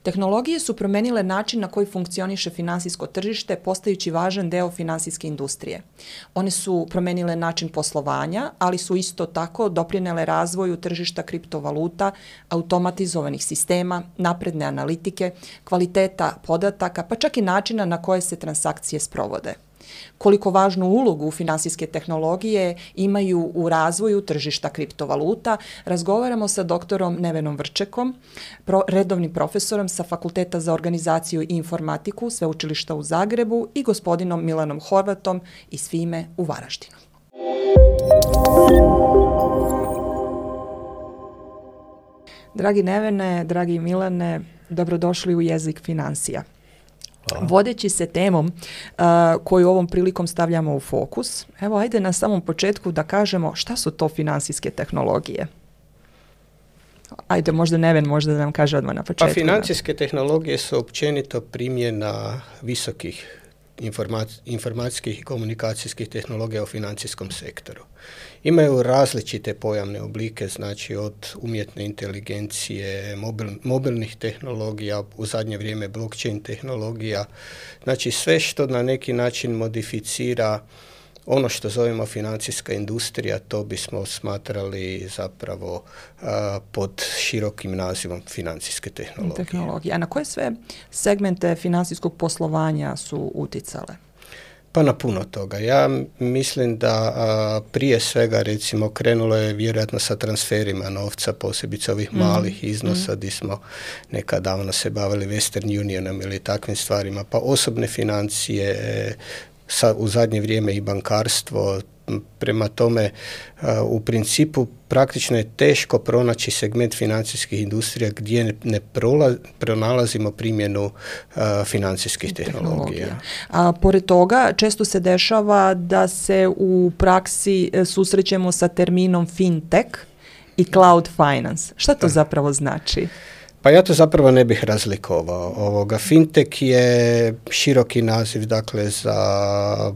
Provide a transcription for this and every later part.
Tehnologije su promenile način na koji funkcioniše finansijsko tržište, postajući važan deo finansijske industrije. One su promenile način poslovanja, ali su isto tako doprinele razvoju tržišta kriptovaluta, automatizovanih sistema, napredne analitike, kvaliteta podataka, pa čak i načina na koje se transakcije sprovode. Koliko važnu ulogu finansijske tehnologije imaju u razvoju tržišta kriptovaluta, razgovaramo sa doktorom Nevenom Vrčekom, redovnim profesorom sa Fakulteta za organizaciju i informatiku Sveučilišta u Zagrebu i gospodinom Milanom Horvatom iz FIME u Varaždinu. Dragi Nevene, dragi Milane, dobrodošli u Jezik financija. Hvala. Vodeći se temom koju ovom prilikom stavljamo u fokus, evo ajde na samom početku da kažemo šta su to finansijske tehnologije. Ajde, možda Neven možda da nam kaže odmah na početku. Pa financijske tehnologije su općenito primjena visokih informacijskih i komunikacijskih tehnologija u financijskom sektoru. Imaju različite pojavne oblike, znači od umjetne inteligencije, mobilnih tehnologija, u zadnje vrijeme blockchain tehnologija, znači sve što na neki način modificira ono što zovemo financijska industrija, to bismo smatrali zapravo pod širokim nazivom financijske tehnologije. A na koje sve segmente financijskog poslovanja su uticale? Pa na puno toga. Ja mislim da prije svega recimo krenulo je vjerojatno sa transferima novca, posebice ovih malih iznosa gdje smo nekad davno se bavili Western Unionom ili takvim stvarima, pa osobne financije, u zadnje vrijeme i bankarstvo. Prema tome, u principu praktično je teško pronaći segment financijskih industrija gdje ne pronalazimo primjenu financijskih tehnologija. A pored toga, često se dešava da se u praksi susrećemo sa terminom fintech i cloud finance. Šta to zapravo znači? Pa ja to zapravo ne bih razlikovao. Fintech je široki naziv, dakle, za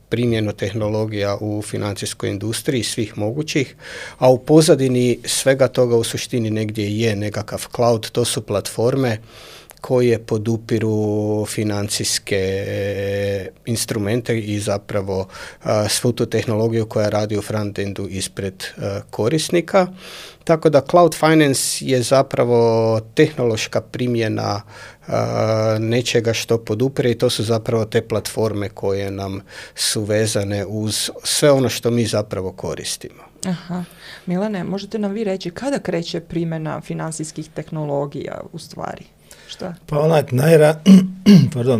primjenu tehnologija u financijskoj industriji svih mogućih, a u pozadini svega toga u suštini negdje je nekakav cloud, to su platforme koje podupiru financijske instrumente i zapravo svu tu tehnologiju koja radi u frontendu ispred korisnika. Tako da cloud finance je zapravo tehnološka primjena nečega što podupire i to su zapravo te platforme koje nam su vezane uz sve ono što mi zapravo koristimo. Aha. Milane, možete nam vi reći kada kreće primjena financijskih tehnologija u stvari? Šta? Pa onak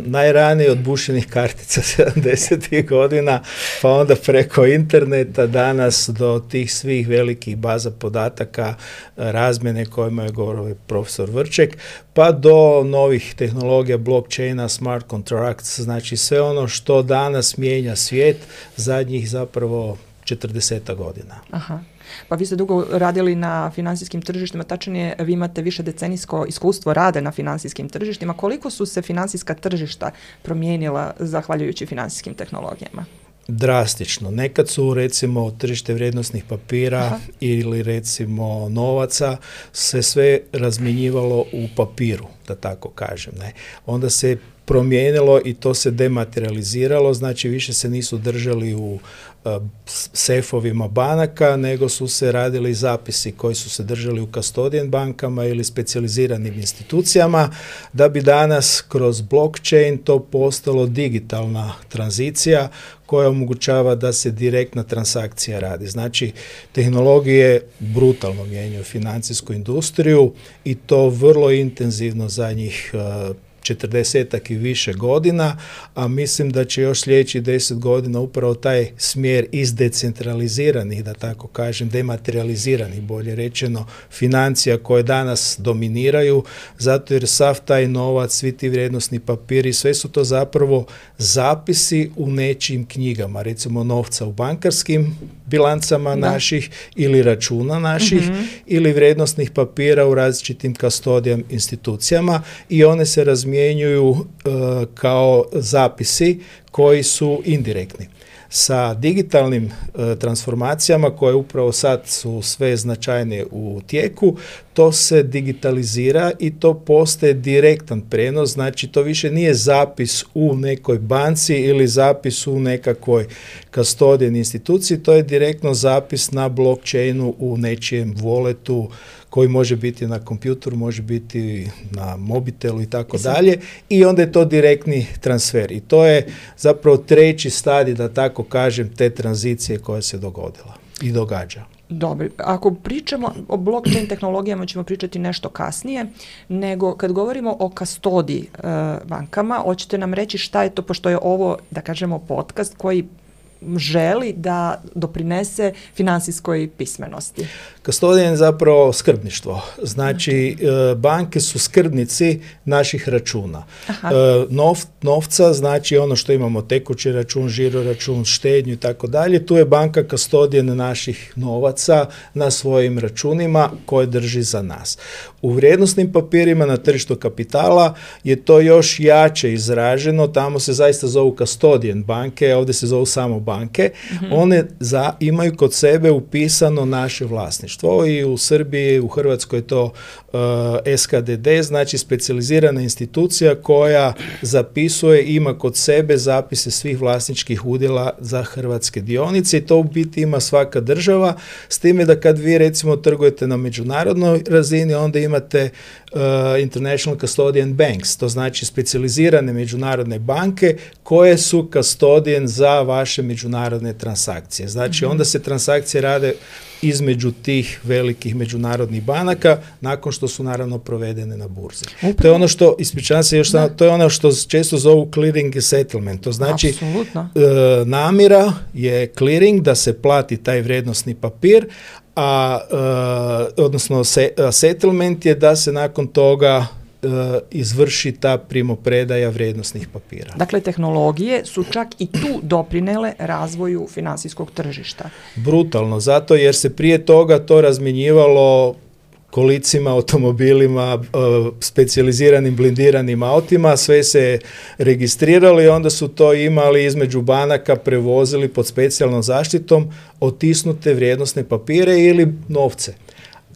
najranije od bušenih kartica 70. godina, pa onda preko interneta danas do tih svih velikih baza podataka, razmjene kojima je govorio profesor Vrček, pa do novih tehnologija blockchaina, smart contracts, znači sve ono što danas mijenja svijet zadnjih zapravo 40 godina. Aha. Pa vi ste dugo radili na financijskim tržištima, tačnije vi imate više decenijsko iskustvo rade na financijskim tržištima. Koliko su se financijska tržišta promijenila zahvaljujući financijskim tehnologijama? Drastično. Nekad su recimo tržište vrijednosnih papira ili recimo novaca se sve razmjenjivalo u papiru, da tako kažem. Ne? Onda se promijenilo i to se dematerializiralo, znači više se nisu držali u sefovima banaka, nego su se radili zapisi koji su se držali u custodian bankama ili specijaliziranim institucijama, da bi danas kroz blockchain to postalo digitalna tranzicija koja omogućava da se direktna transakcija radi. Znači, tehnologije brutalno mijenjaju financijsku industriju i to vrlo intenzivno zadnjih 40-ak i više godina, a mislim da će još sljedećih 10 godina upravo taj smjer iz decentraliziranih, da tako kažem, dematerializiranih, bolje rečeno, financija koje danas dominiraju, zato jer sav taj novac, svi ti vrijednosni papiri, sve su to zapravo zapisi u nečijim knjigama, recimo novca u bankarskim bilancama naših ili računa naših ili vrijednosnih papira u različitim custodian institucijama i one se razmjenjuju kao zapisi koji su indirektni. Sa digitalnim transformacijama koje upravo sad su sve značajnije u tijeku, to se digitalizira i to postaje direktan prenos, znači to više nije zapis u nekoj banci ili zapis u nekakvoj custodian instituciji, to je direktno zapis na blockchainu u nečijem walletu koji može biti na kompjutoru, može biti na mobitelu i tako dalje, i onda je to direktni transfer. I to je zapravo treći stadij, da tako kažem, te tranzicije koja se dogodila i događa. Dobro, ako pričamo o blockchain tehnologijama ćemo pričati nešto kasnije, nego kad govorimo o kastodiji bankama, hoćete nam reći šta je to, pošto je ovo, da kažemo, podcast koji želi da doprinese finansijskoj pismenosti. Kastodijan je zapravo skrbništvo. Znači, banke su skrbnici naših računa. Novca, znači ono što imamo, tekući račun, žiro račun, štednju i tako dalje, tu je banka kastodijan naših novaca na svojim računima koje drži za nas. U vrijednosnim papirima na tržištu kapitala je to još jače izraženo, tamo se zaista zovu kastodijan banke, ovdje se zovu samo banke, one imaju kod sebe upisano naše vlasništvo i u Srbiji, u Hrvatskoj je to SKDD, znači specijalizirana institucija koja zapisuje, ima kod sebe zapise svih vlasničkih udjela za hrvatske dionice i to u biti ima svaka država, s time da kad vi recimo trgujete na međunarodnoj razini, onda imate International Custodian Banks, to znači specijalizirane međunarodne banke koje su custodian za vaše međunarodne transakcije. Znači onda se transakcije rade između tih velikih međunarodnih banaka nakon što su naravno provedene na burzi. To je ono što, ispričavam se još samo, to je ono što često zovu clearing i settlement. To znači namjera je clearing, da se plati taj vrijednosni papir, odnosno settlement je da se nakon toga izvrši ta primopredaja vrijednosnih papira. Dakle, tehnologije su čak i tu doprinele razvoju finansijskog tržišta. Brutalno, zato jer se prije toga to razmjenjivalo kolicima, automobilima, specijaliziranim blindiranim autima, sve se registriralo i onda su to imali između banaka, prevozili pod specijalnom zaštitom otisnute vrijednosne papire ili novce.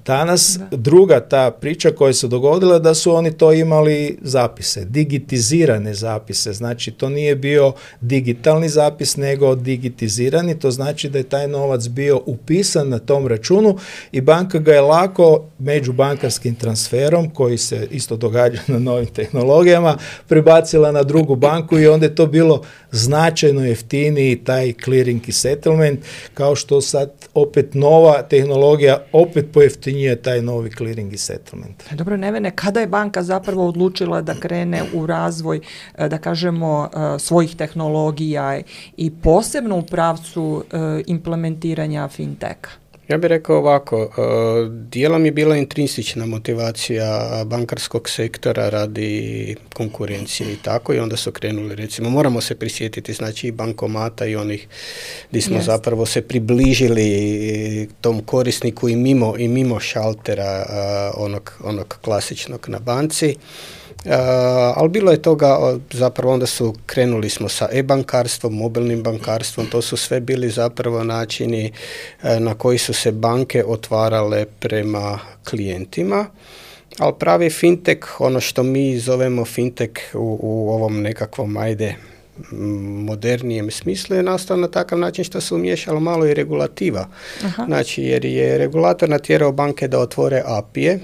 Danas druga ta priča koja se dogodila da su oni to imali zapise, digitizirane zapise, znači to nije bio digitalni zapis nego digitizirani, to znači da je taj novac bio upisan na tom računu i banka ga je lako međubankarskim transferom, koji se isto događa na novim tehnologijama, prebacila na drugu banku i onda je to bilo značajno jeftiniji taj clearing i settlement, kao što sad opet nova tehnologija opet pojeftinjuje taj novi clearing i settlement. Dobro, Nevene, kada je banka zapravo odlučila da krene u razvoj, da kažemo, svojih tehnologija i posebno u pravcu implementiranja finteka? Ja bih rekao ovako, dijelom je bila intrinsična motivacija bankarskog sektora radi konkurencije i tako, i onda su krenuli, recimo, moramo se prisjetiti, znači, i bankomata i onih gdje smo zapravo se približili tom korisniku i mimo šaltera onog klasičnog na banci. Ali bilo je toga, zapravo onda krenuli smo sa e-bankarstvom, mobilnim bankarstvom, to su sve bili zapravo načini na koji su se banke otvarale prema klijentima, ali pravi fintech, ono što mi zovemo fintech u ovom nekakvom, modernijem smislu, je nastao na takav način što se umiješalo malo i regulativa. Znači, jer je regulator natjerao banke da otvore API-je,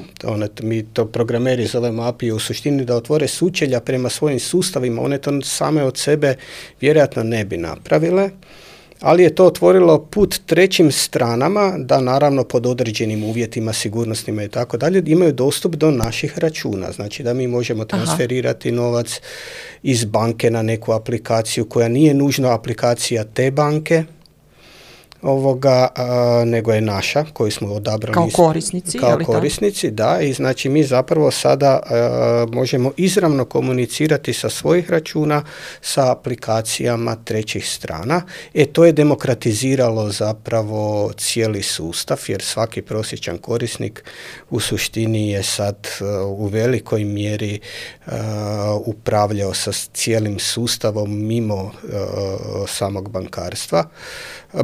mi to programeri zovemo API-je, u suštini da otvore sučelja prema svojim sustavima, one to same od sebe vjerojatno ne bi napravile, ali je to otvorilo put trećim stranama da naravno pod određenim uvjetima, sigurnosnima i tako dalje, imaju dostup do naših računa. Znači da mi možemo transferirati novac iz banke na neku aplikaciju koja nije nužno aplikacija te banke, nego je naša, koju smo odabrali kao korisnici. Kao korisnici, da, i znači mi zapravo sada možemo izravno komunicirati sa svojih računa sa aplikacijama trećih strana. To je demokratiziralo zapravo cijeli sustav, jer svaki prosječan korisnik u suštini je sad u velikoj mjeri upravljao sa cijelim sustavom mimo samog bankarstva.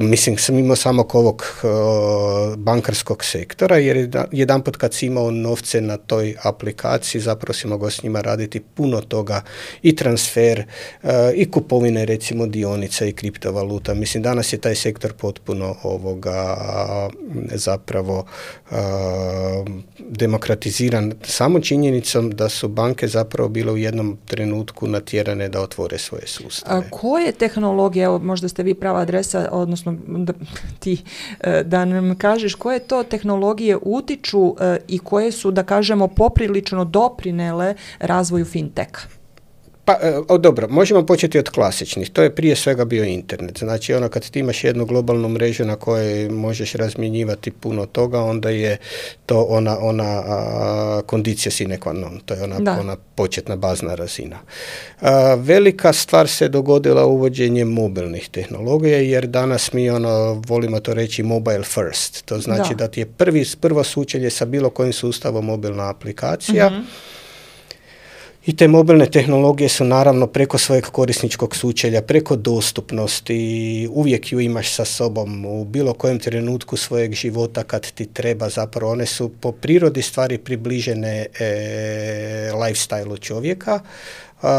Mislim, sam imao samog ovog bankarskog sektora, jer jedanput kad si imao novce na toj aplikaciji, zapravo si mogao s njima raditi puno toga, i transfer, i kupovine recimo dionica i kriptovaluta. Mislim, danas je taj sektor potpuno zapravo demokratiziran samo činjenicom da su banke zapravo bile u jednom trenutku natjerane da otvore svoje sustave. Koje tehnologije, evo možda ste vi prava adresa, odnosno da nam kažeš koje to tehnologije utiču i koje su, da kažemo, poprilično doprinele razvoju finteka? Pa, dobro, možemo početi od klasičnih. To je prije svega bio internet. Znači, kad ti imaš jednu globalnu mrežu na kojoj možeš razmjenjivati puno toga, onda je to ona condicio sine qua non. To je ona početna bazna razina. Velika stvar se dogodila uvođenjem mobilnih tehnologija, jer danas mi volimo to reći mobile first. To znači da ti je prvo sučelje sa bilo kojim sustavom mobilna aplikacija. Mm-hmm. I te mobilne tehnologije su naravno preko svojeg korisničkog sučelja, preko dostupnosti, uvijek ju imaš sa sobom u bilo kojem trenutku svojeg života kad ti treba. Zapravo one su po prirodi stvari približene lifestyle-u čovjeka.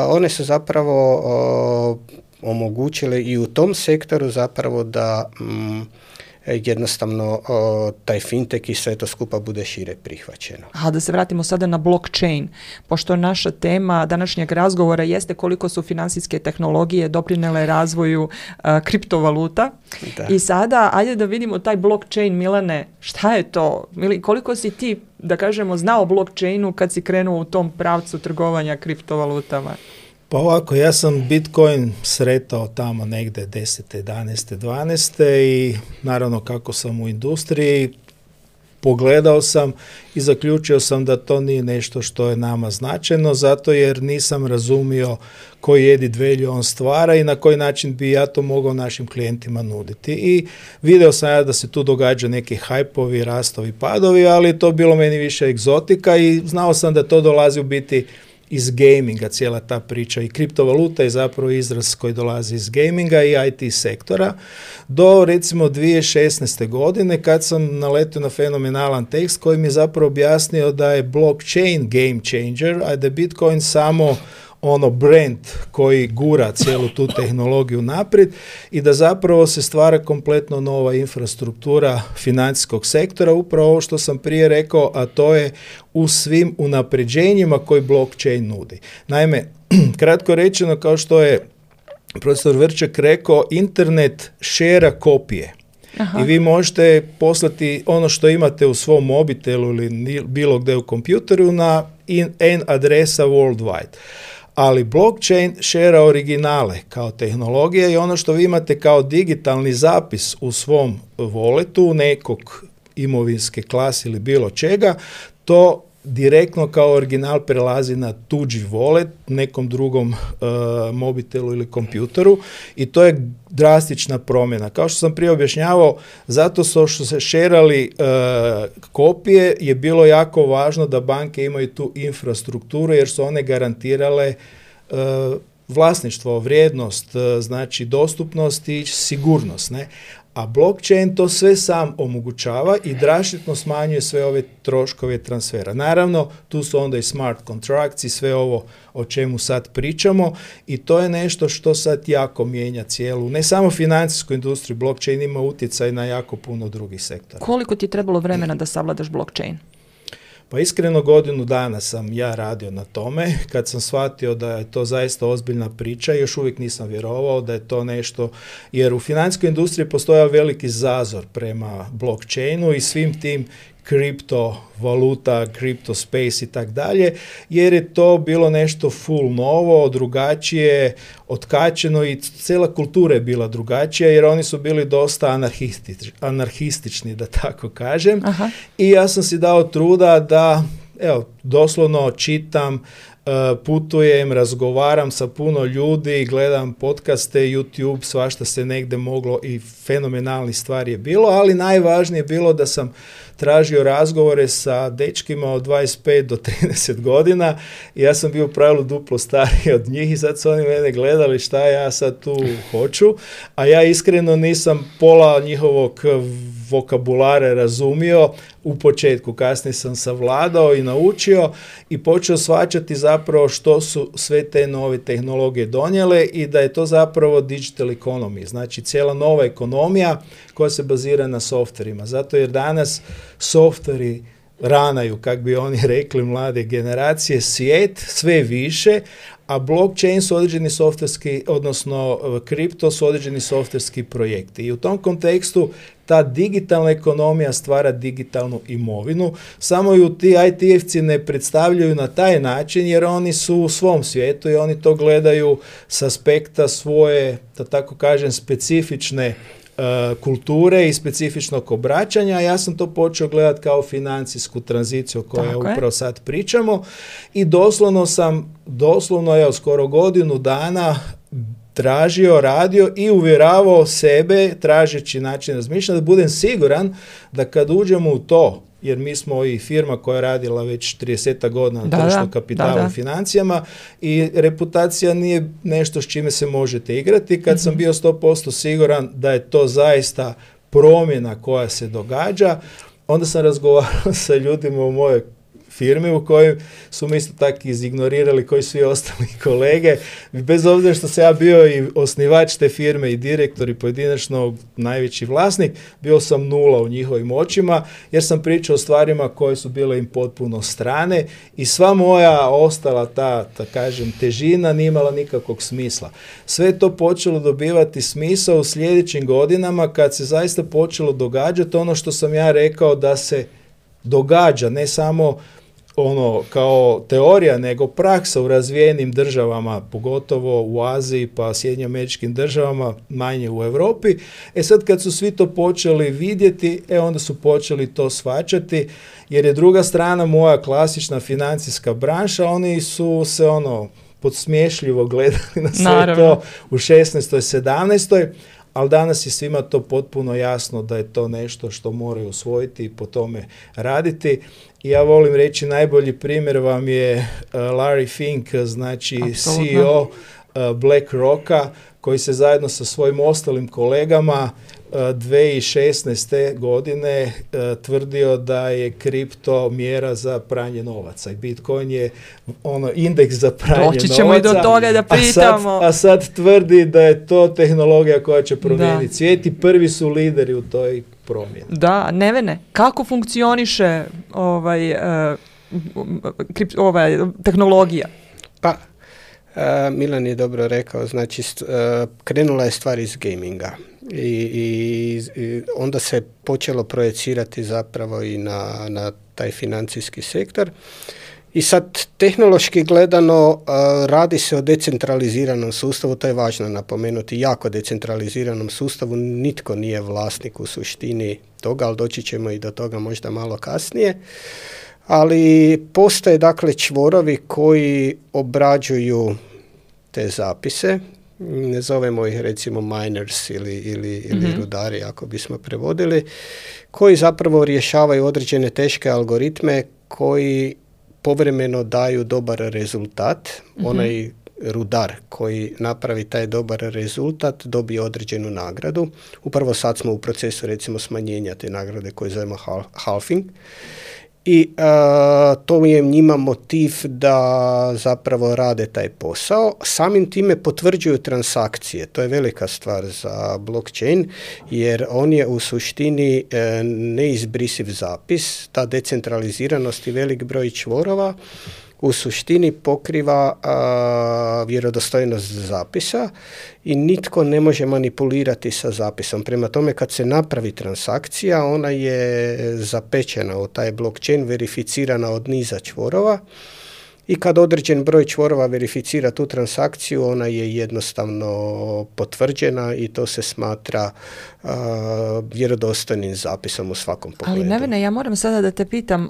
One su zapravo omogućile i u tom sektoru zapravo da jednostavno taj fintech i sve to skupa bude šire prihvaćeno. A da se vratimo sada na blockchain, pošto naša tema današnjeg razgovora jeste koliko su financijske tehnologije doprinele razvoju kriptovaluta. Da. I sada, ajde da vidimo taj blockchain, Milane, šta je to? Koliko si ti, da kažemo, znao o blockchainu kad si krenuo u tom pravcu trgovanja kriptovalutama? Pa ovako, ja sam Bitcoin sretao tamo negde 10. 11. 12. i naravno kako sam u industriji, pogledao sam i zaključio sam da to nije nešto što je nama značajno, zato jer nisam razumio koji added value on stvara i na koji način bi ja to mogao našim klijentima nuditi. I video sam ja da se tu događa neki hajpovi, rastovi, padovi, ali to bilo meni više egzotika i znao sam da to dolazi u biti iz gaminga, cijela ta priča, i kriptovaluta je zapravo izraz koji dolazi iz gaminga i IT sektora, do recimo 2016. godine kad sam naletio na fenomenalan tekst koji mi je zapravo objasnio da je blockchain game changer, a da je Bitcoin samo brand koji gura cijelu tu tehnologiju naprijed i da zapravo se stvara kompletno nova infrastruktura financijskog sektora, upravo ovo što sam prije rekao, a to je u svim unapređenjima koji blockchain nudi. Naime, kratko rečeno, kao što je profesor Vrček rekao, internet šera kopije. Aha. I vi možete poslati ono što imate u svom mobitelu ili bilo gdje u kompjuteru na N adresa worldwide. Ali blockchain šera originale kao tehnologija i ono što vi imate kao digitalni zapis u svom walletu nekog imovinske klase ili bilo čega, to direktno kao original prelazi na tuđi wallet, nekom drugom mobitelu ili kompjuteru i to je drastična promjena. Kao što sam prije objašnjavao, zato što se šerali kopije je bilo jako važno da banke imaju tu infrastrukturu jer su one garantirale vlasništvo, vrijednost, znači dostupnost i sigurnost, ne? A blockchain to sve sam omogućava i drastično smanjuje sve ove troškove transfera. Naravno, tu su onda i smart contracts i sve ovo o čemu sad pričamo i to je nešto što sad jako mijenja cijelu, ne samo financijsku industriju, blockchain ima utjecaj na jako puno drugih sektora. Koliko ti je trebalo vremena da savladaš blockchain? Pa iskreno godinu dana sam ja radio na tome, kad sam shvatio da je to zaista ozbiljna priča, još uvijek nisam vjerovao da je to nešto, jer u financijskoj industriji postoja veliki zazor prema blockchainu i svim tim kriptovaluta, kripto space i tak dalje, jer je to bilo nešto full novo, drugačije, otkačeno i cijela kultura je bila drugačija jer oni su bili dosta anarhistični, da tako kažem. Aha. I ja sam si dao truda da doslovno čitam, putujem, razgovaram sa puno ljudi, gledam podcaste, YouTube, svašta se negde moglo i fenomenalnih stvari je bilo, ali najvažnije je bilo da sam tražio razgovore sa dečkima od 25 do 30 godina i ja sam bio u pravilu duplo stariji od njih i sad su oni mene gledali šta ja sad tu hoću, a ja iskreno nisam pola njihovog vokabulara razumio u početku, kasnije sam savladao i naučio i počeo shvaćati zapravo što su sve te nove tehnologije donijele i da je to zapravo digital economy, znači cijela nova ekonomija koja se bazira na softverima, zato jer danas softveri ranaju, kak bi oni rekli, mlade generacije, svijet sve više, a blockchain su određeni softverski, odnosno kripto su određeni softverski projekti. I u tom kontekstu ta digitalna ekonomija stvara digitalnu imovinu, samo ju ti IT-evci ne predstavljaju na taj način jer oni su u svom svijetu i oni to gledaju s aspekta svoje, da tako kažem, specifične kulture i specifičnog obraćanja. Ja sam to počeo gledati kao financijsku tranziciju o kojoj upravo sad pričamo i doslovno je skoro godinu dana tražio, radio i uvjeravao sebe, tražeći način razmišljanja, da budem siguran da kad uđemo u to, jer mi smo i firma koja je radila već 30 godina na tržištu kapitala i financijama i reputacija nije nešto s čime se možete igrati. Kad sam bio 100% siguran da je to zaista promjena koja se događa, onda sam razgovarao sa ljudima u mojoj firmi u kojoj su mi isto tako izignorirali koji svi ostali kolege. Bez obzira što sam ja bio i osnivač te firme i direktor i pojedinačno najveći vlasnik, bio sam nula u njihovim očima jer sam pričao o stvarima koje su bile im potpuno strane i sva moja ostala ta kažem, težina nije imala nikakvog smisla. Sve je to počelo dobivati smisao u sljedećim godinama kad se zaista počelo događati ono što sam ja rekao da se događa, ne samo ono kao teorija, nego praksa u razvijenim državama, pogotovo u Aziji pa Sjedinjenim Američkim Državama, manje u Europi. Sad kad su svi to počeli vidjeti, onda su počeli to shvaćati, jer je druga strana moja klasična financijska branša, oni su se podsmiješljivo gledali na sve to u 16. 17. Ali danas je svima to potpuno jasno da je to nešto što moraju usvojiti i po tome raditi. I ja volim reći, najbolji primjer vam je Larry Fink, znači CEO BlackRocka, koji se zajedno sa svojim ostalim kolegama 2016. godine tvrdio da je kripto mjera za pranje novaca i Bitcoin je indeks za pranje novaca. Doći ćemo i do toga da pitamo. A sad tvrdi da je to tehnologija koja će promijeniti svijet i prvi su lideri u toj promjeni. Da, Nevene, kako funkcioniše tehnologija? Pa, Milan je dobro rekao, znači krenula je stvar iz gaminga i onda se počelo projecirati zapravo i na taj financijski sektor. I sad, tehnološki gledano, radi se o decentraliziranom sustavu, to je važno napomenuti, jako decentraliziranom sustavu, nitko nije vlasnik u suštini toga, ali doći ćemo i do toga možda malo kasnije. Ali postoje dakle čvorovi koji obrađuju te zapise, ne zovemo ih recimo miners ili rudari ako bismo prevodili, koji zapravo rješavaju određene teške algoritme koji povremeno daju dobar rezultat. Onaj rudar koji napravi taj dobar rezultat dobije određenu nagradu. Upravo sad smo u procesu recimo smanjenja te nagrade koje zovemo halving. I to je njima motiv da zapravo rade taj posao. Samim time potvrđuju transakcije. To je velika stvar za blockchain jer on je u suštini neizbrisiv zapis. Ta decentraliziranost i velik broj čvorova u suštini pokriva vjerodostojnost zapisa i nitko ne može manipulirati sa zapisom. Prema tome, kad se napravi transakcija, ona je zapečena u taj blockchain, verificirana od niza čvorova i kad određen broj čvorova verificira tu transakciju, ona je jednostavno potvrđena i to se smatra vjerodostojnim zapisom u svakom pogledu. Ali Nevene, ja moram sada da te pitam,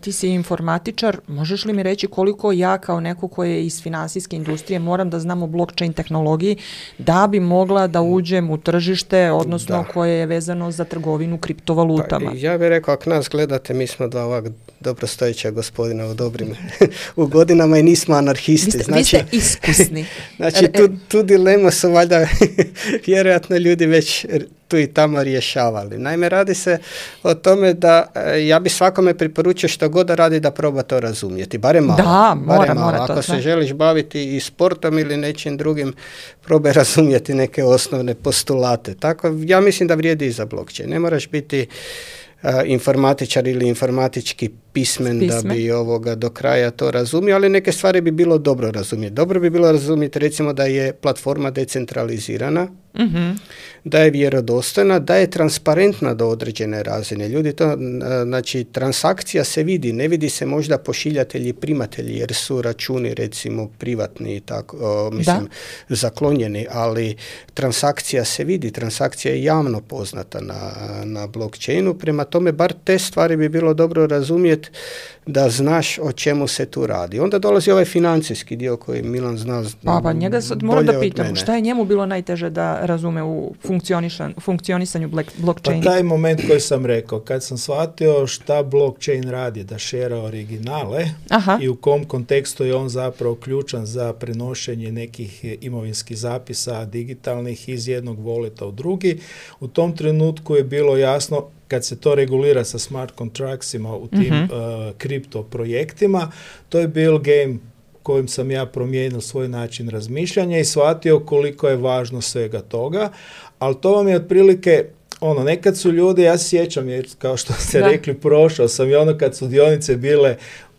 ti si informatičar, možeš li mi reći koliko ja kao neko ko je iz finansijske industrije moram da znam o blockchain tehnologiji da bi mogla da uđem u tržište, odnosno koje je vezano za trgovinu kriptovalutama? Pa, ja bih rekao, ako nas gledate, mi smo dva ovak dobrostojeća gospodina u dobrim u godinama i nismo anarhisti. Vi ste iskusni. Znači, tu dilemu su valjda vjerojatno ljudi već tu i tamo rješavali. Naime, radi se o tome da ja bi svakome preporučio što god da radi da proba to razumjeti. Barem malo. Da, mora Ako to. se želiš baviti i sportom ili nečim drugim, probaj razumjeti neke osnovne postulate. Tako, ja mislim da vrijedi i za blockchain. Ne moraš biti informatičar ili informatički pismen da bi do kraja to razumio, ali neke stvari bi bilo dobro razumjeti. Dobro bi bilo razumjeti recimo da je platforma decentralizirana, da je vjerodostojna, da je transparentna do određene razine. Ljudi to, znači transakcija se vidi, ne vidi se možda pošiljatelji i primatelji jer su računi recimo privatni i tako, zaklonjeni, ali transakcija se vidi, transakcija je javno poznata na blockchainu, prema tome bar te stvari bi bilo dobro razumjeti da znaš o čemu se tu radi. Onda dolazi ovaj financijski dio koji Milan zna pa njega moram da pitam, šta je njemu bilo najteže da razume u funkcionisanju blockchaina? Pa taj moment koji sam rekao, kad sam shvatio šta blockchain radi, da šera originale i u kom kontekstu je on zapravo ključan za prenošenje nekih imovinskih zapisa digitalnih iz jednog voleta u drugi, u tom trenutku je bilo jasno kad se to regulira sa smart contractsima u tim kripto projektima, to je bil game kojim sam ja promijenio svoj način razmišljanja i shvatio koliko je važno svega toga, ali to vam je otprilike nekad su ljudi, ja se sjećam, jer kao što ste rekli, prošao sam i kad su dionice bile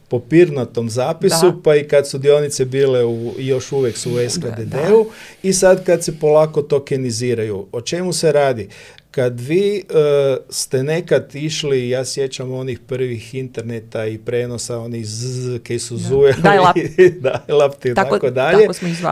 po papirnatom zapisu, pa i kad su dionice bile još uvijek su u SKDD-u i sad kad se polako tokeniziraju. O čemu se radi? Kad vi ste nekad išli, ja sjećam onih prvih interneta i prenosa, onih koji su zujeli, dial-up i tako dalje,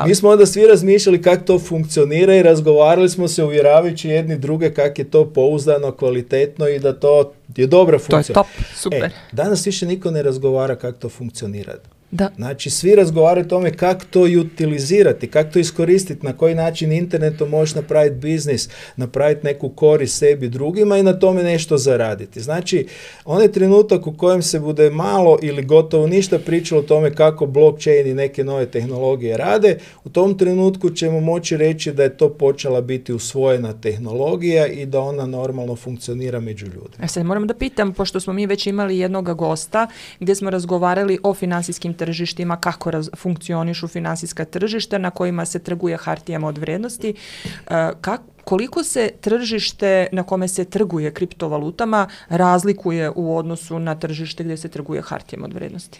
mi smo onda svi razmišljali kako to funkcionira i razgovarali smo se uvjeravajući jedni druge kako je to pouzdano, kvalitetno i da to je dobra funkcija. To je top, super. Danas više niko ne razgovara kako to funkcionira. Da. Znači, svi razgovaraju o tome kako to utilizirati, kako to iskoristiti, na koji način internetom možeš napraviti biznis, napraviti neku korist sebi drugima i na tome nešto zaraditi. Znači, onaj trenutak u kojem se bude malo ili gotovo ništa pričalo o tome kako blockchain i neke nove tehnologije rade, u tom trenutku ćemo moći reći da je to počela biti usvojena tehnologija i da ona normalno funkcionira među ljudima. Sad moram da pitam, pošto smo mi već imali jednog gosta gdje smo razgovarali o finansijskim tržištima, kako funkcionišu finansijska tržišta na kojima se trguje hartijama od vrijednosti. Koliko se tržište na kome se trguje kriptovalutama razlikuje u odnosu na tržište gdje se trguje hartijama od vrijednosti?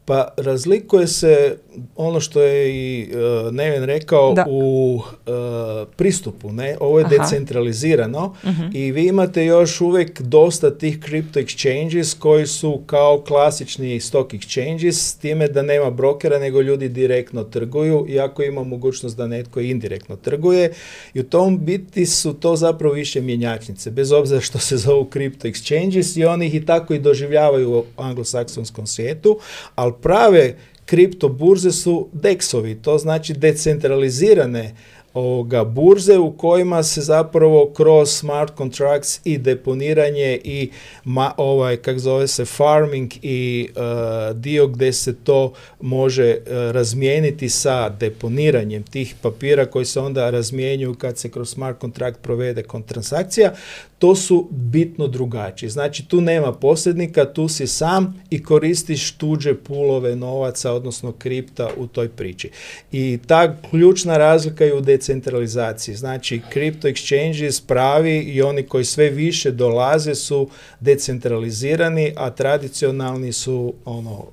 Pa razlikuje se ono što je i Neven rekao u pristupu. Ovo je decentralizirano i vi imate još uvijek dosta tih crypto exchanges koji su kao klasični stock exchanges, s time da nema brokera nego ljudi direktno trguju, iako ima mogućnost da netko indirektno trguje i u tom biti su to zapravo više mjenjačnice, bez obzira što se zovu crypto exchanges i oni ih i tako i doživljavaju u anglosaksonskom svijetu, ali prave kripto burze su DEX-ovi, to znači decentralizirane burze u kojima se zapravo kroz smart contracts i deponiranje i kako zove se farming i dio gdje se to može razmijeniti sa deponiranjem tih papira koji se onda razmjenjuju kad se kroz smart contract provede transakcija, to su bitno drugačiji. Znači tu nema posrednika, tu si sam i koristiš tuđe pulove novaca, odnosno kripta u toj priči. I ta ključna razlika je u decentralizaciji. Znači crypto exchanges pravi i oni koji sve više dolaze su decentralizirani, a tradicionalni su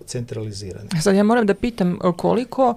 centralizirani. Sad ja moram da pitam koliko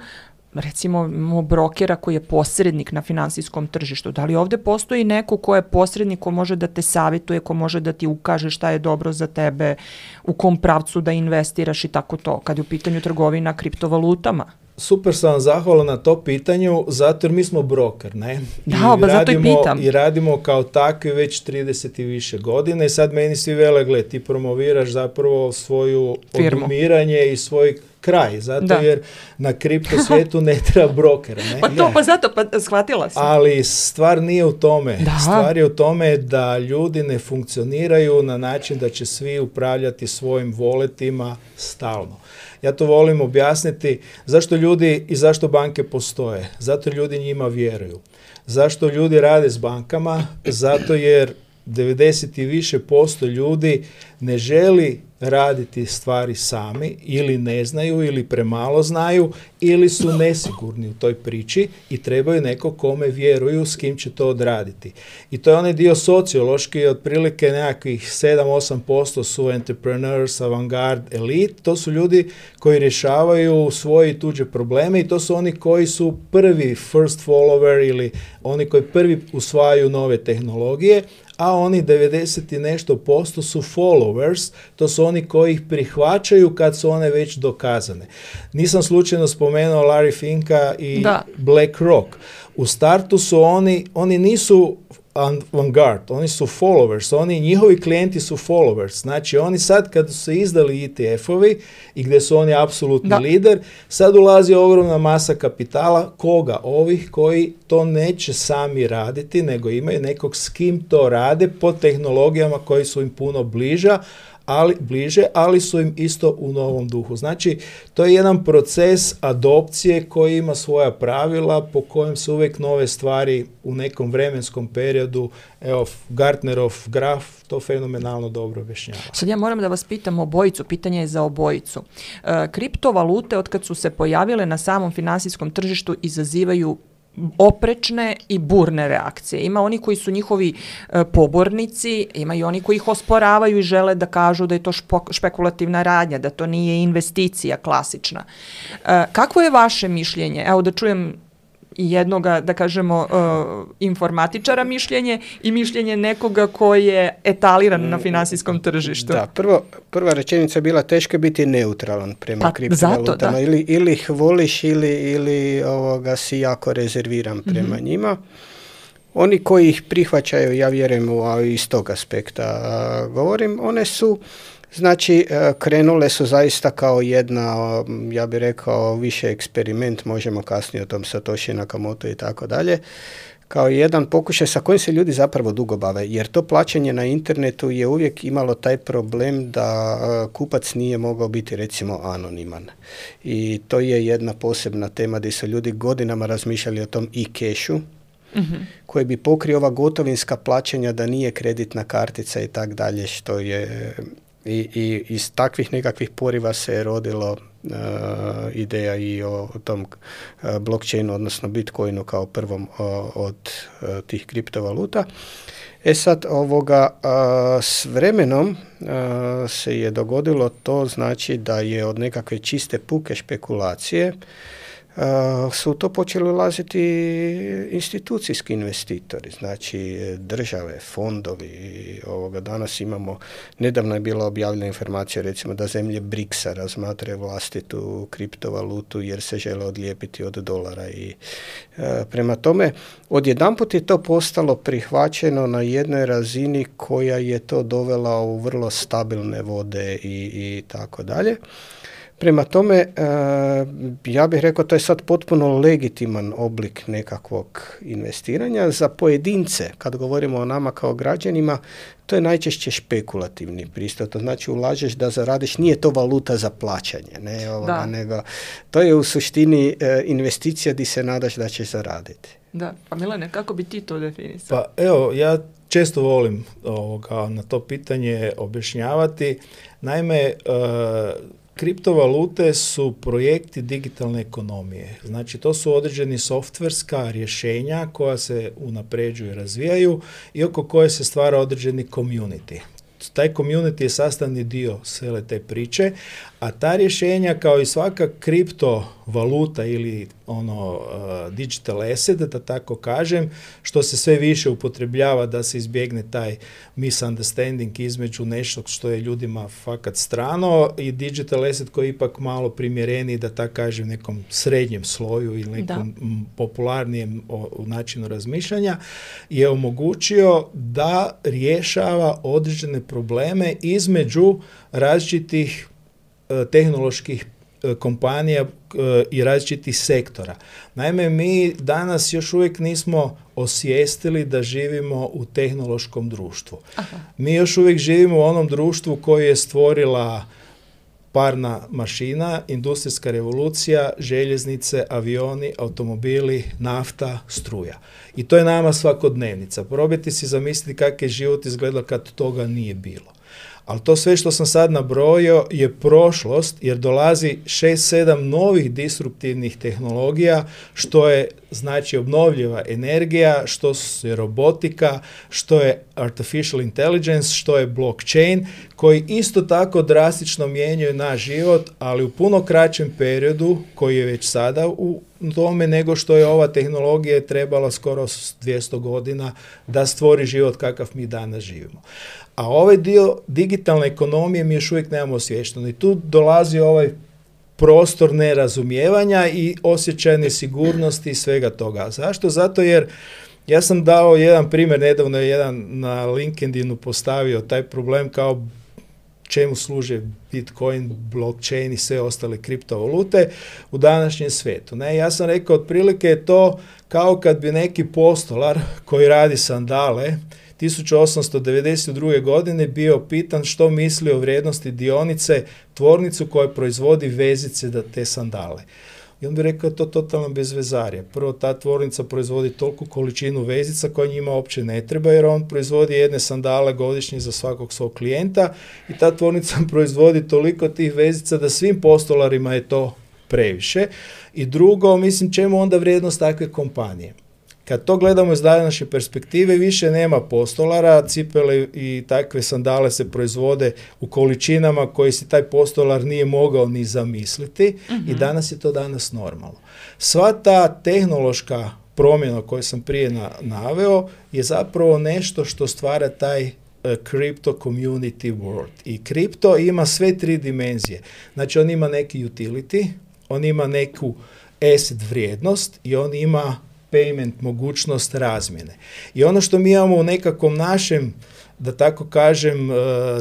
recimo imamo brokera koji je posrednik na finansijskom tržištu. Da li ovdje postoji neko ko je posrednik, ko može da te savjetuje, ko može da ti ukaže šta je dobro za tebe, u kom pravcu da investiraš i tako to, kad je u pitanju trgovina kriptovalutama? Super sam vam zahvalan na to pitanju, zato jer mi smo broker, ne? Da, zato i pitam. I radimo kao takvi već 30 i više godine i sad meni svi vele, gle, ti promoviraš zapravo svoju odumiranje i svoj kraj, zato jer na kripto svijetu ne treba brokera. Ne? Pa shvatila sam. Ali stvar nije u tome. Stvar je u tome da ljudi ne funkcioniraju na način da će svi upravljati svojim voletima stalno. Ja to volim objasniti zašto ljudi i zašto banke postoje. Zato ljudi njima vjeruju. Zašto ljudi rade s bankama? Zato jer 90 i više % ljudi ne želi raditi stvari sami, ili ne znaju, ili premalo znaju, ili su nesigurni u toj priči i trebaju neko kome vjeruju s kim će to odraditi. I to je onaj dio sociološki, otprilike nekakvih 7-8% su entrepreneurs, avantgard, elite, to su ljudi koji rješavaju svoje i tuđe probleme i to su oni koji su prvi first follower ili oni koji prvi usvajaju nove tehnologije, a oni 90 i nešto % su followers, to su oni koji ih prihvaćaju kad su one već dokazane. Nisam slučajno spomenuo Larry Finka i BlackRock. U startu su oni nisu avantgard, oni su followers, njihovi klijenti su followers. Znači oni sad kad su se izdali ETF-ovi i gdje su oni apsolutni lider, sad ulazi ogromna masa kapitala. Koga? Ovih koji to neće sami raditi, nego imaju nekog s kim to rade po tehnologijama koji su im puno bliže, ali su im isto u novom duhu. Znači, to je jedan proces adopcije koji ima svoja pravila po kojem se uvijek nove stvari u nekom vremenskom periodu, evo, Gartnerov graf to fenomenalno dobro objašnjava. Sad ja moram da vas pitam obojicu, pitanje je za obojicu. Kriptovalute, od kad su se pojavile na samom finansijskom tržištu, izazivaju oprečne i burne reakcije. Ima oni koji su njihovi pobornici, ima i oni koji ih osporavaju i žele da kažu da je to špekulativna radnja, da to nije investicija klasična. Kakvo je vaše mišljenje? Evo da čujem jednoga, da kažemo, informatičara mišljenje i mišljenje nekoga koji je etaliran na finansijskom tržištu. Da, prva rečenica je bila teško biti neutralan prema kriptovalutama. Ili ih voliš ili si jako rezerviran prema njima. Oni koji ih prihvaćaju, ja vjerujem iz tog aspekta govorim, one su krenule su zaista kao jedna, ja bih rekao, više eksperiment, možemo kasnije o tom Satoshi Nakamoto i tako dalje, kao jedan pokušaj sa kojim se ljudi zapravo dugo bave, jer to plaćanje na internetu je uvijek imalo taj problem da kupac nije mogao biti recimo anoniman. I to je jedna posebna tema gdje su ljudi godinama razmišljali o tom e-cashu, koji bi pokrio ova gotovinska plaćanja da nije kreditna kartica i tak dalje, što je... I iz takvih nekakvih poriva se rodilo ideja i o tom blockchainu, odnosno Bitcoinu kao prvom od tih kriptovaluta. Sad s vremenom se je dogodilo to, znači da je od nekakve čiste puke špekulacije su to počeli ulaziti institucijski investitori, znači države, fondovi. Danas imamo, nedavno je bila objavljena informacija recimo da zemlje BRICS-a razmatraju vlastitu kriptovalutu jer se žele odlijepiti od dolara i prema tome odjedanput je to postalo prihvaćeno na jednoj razini koja je to dovela u vrlo stabilne vode i tako dalje. Prema tome, ja bih rekao, to je sad potpuno legitiman oblik nekakvog investiranja. Za pojedince, kad govorimo o nama kao građanima, to je najčešće špekulativni pristup. To znači ulažeš da zaradiš, nije to valuta za plaćanje, nego to je u suštini investicija di se nadaš da ćeš zaraditi. Da, pa Milane, kako bi ti to definisao? Pa evo, ja često volim na to pitanje objašnjavati. Naime, kriptovalute su projekti digitalne ekonomije. Znači, to su određeni softverska rješenja koja se unapređuju i razvijaju i oko koje se stvara određeni community. taj community je sastavni dio cijele te priče, a ta rješenja kao i svaka kriptovaluta ili digital asset, da tako kažem, što se sve više upotrebljava da se izbjegne taj misunderstanding između nešto što je ljudima fakat strano i digital asset koji je ipak malo primjereniji, da tako kažem, nekom srednjem sloju ili nekom popularnijem načinu razmišljanja, je omogućio da rješava određene probleme između različitih tehnoloških kompanija i različitih sektora. Naime, mi danas još uvijek nismo osvijestili da živimo u tehnološkom društvu. Aha. Mi još uvijek živimo u onom društvu koje je stvorila parna mašina, industrijska revolucija, željeznice, avioni, automobili, nafta, struja. I to je nama svakodnevnica. Probajte si zamisliti kakav je život izgledao kad toga nije bilo. Ali to sve što sam sad nabrojio je prošlost, jer dolazi 6-7 novih disruptivnih tehnologija, što je znači obnovljiva energija, što je robotika, što je artificial intelligence, što je blockchain, koji isto tako drastično mijenjaju naš život, ali u puno kraćem periodu, koji je već sada u tome, nego što je ova tehnologija trebala skoro 200 godina da stvori život kakav mi danas živimo. A ovaj dio digitalne ekonomije mi još uvijek nemamo osviješteno. I tu dolazi ovaj prostor nerazumijevanja i osjećaj nesigurnosti i svega toga. Zašto? Zato jer ja sam dao jedan primjer, nedavno je jedan na LinkedInu postavio taj problem kao čemu služe Bitcoin, blockchain i sve ostale kriptovalute u današnjem svijetu. Ne, ja sam rekao, otprilike je to kao kad bi neki postolar koji radi sandale 1892. godine bio pitan što misli o vrijednosti dionice tvornicu koja proizvodi vezice da te sandale. I on bi rekao to totalno bezvezarje. Prvo, ta tvornica proizvodi toliku količinu vezica koja njima uopće ne treba, jer on proizvodi jedne sandale godišnje za svakog svog klijenta i ta tvornica proizvodi toliko tih vezica da svim postolarima je to previše. I drugo, mislim, čemu onda vrijednost takve kompanije? Kad to gledamo iz današnje perspektive, više nema postolara, cipele i takve sandale se proizvode u količinama koji si taj postolar nije mogao ni zamisliti i danas je to danas normalno. Sva ta tehnološka promjena koju sam prije naveo je zapravo nešto što stvara taj crypto community world. I kripto ima sve tri dimenzije. Znači on ima neki utility, on ima neku asset vrijednost i on ima payment, mogućnost razmjene. I ono što mi imamo u nekakvom našem, da tako kažem,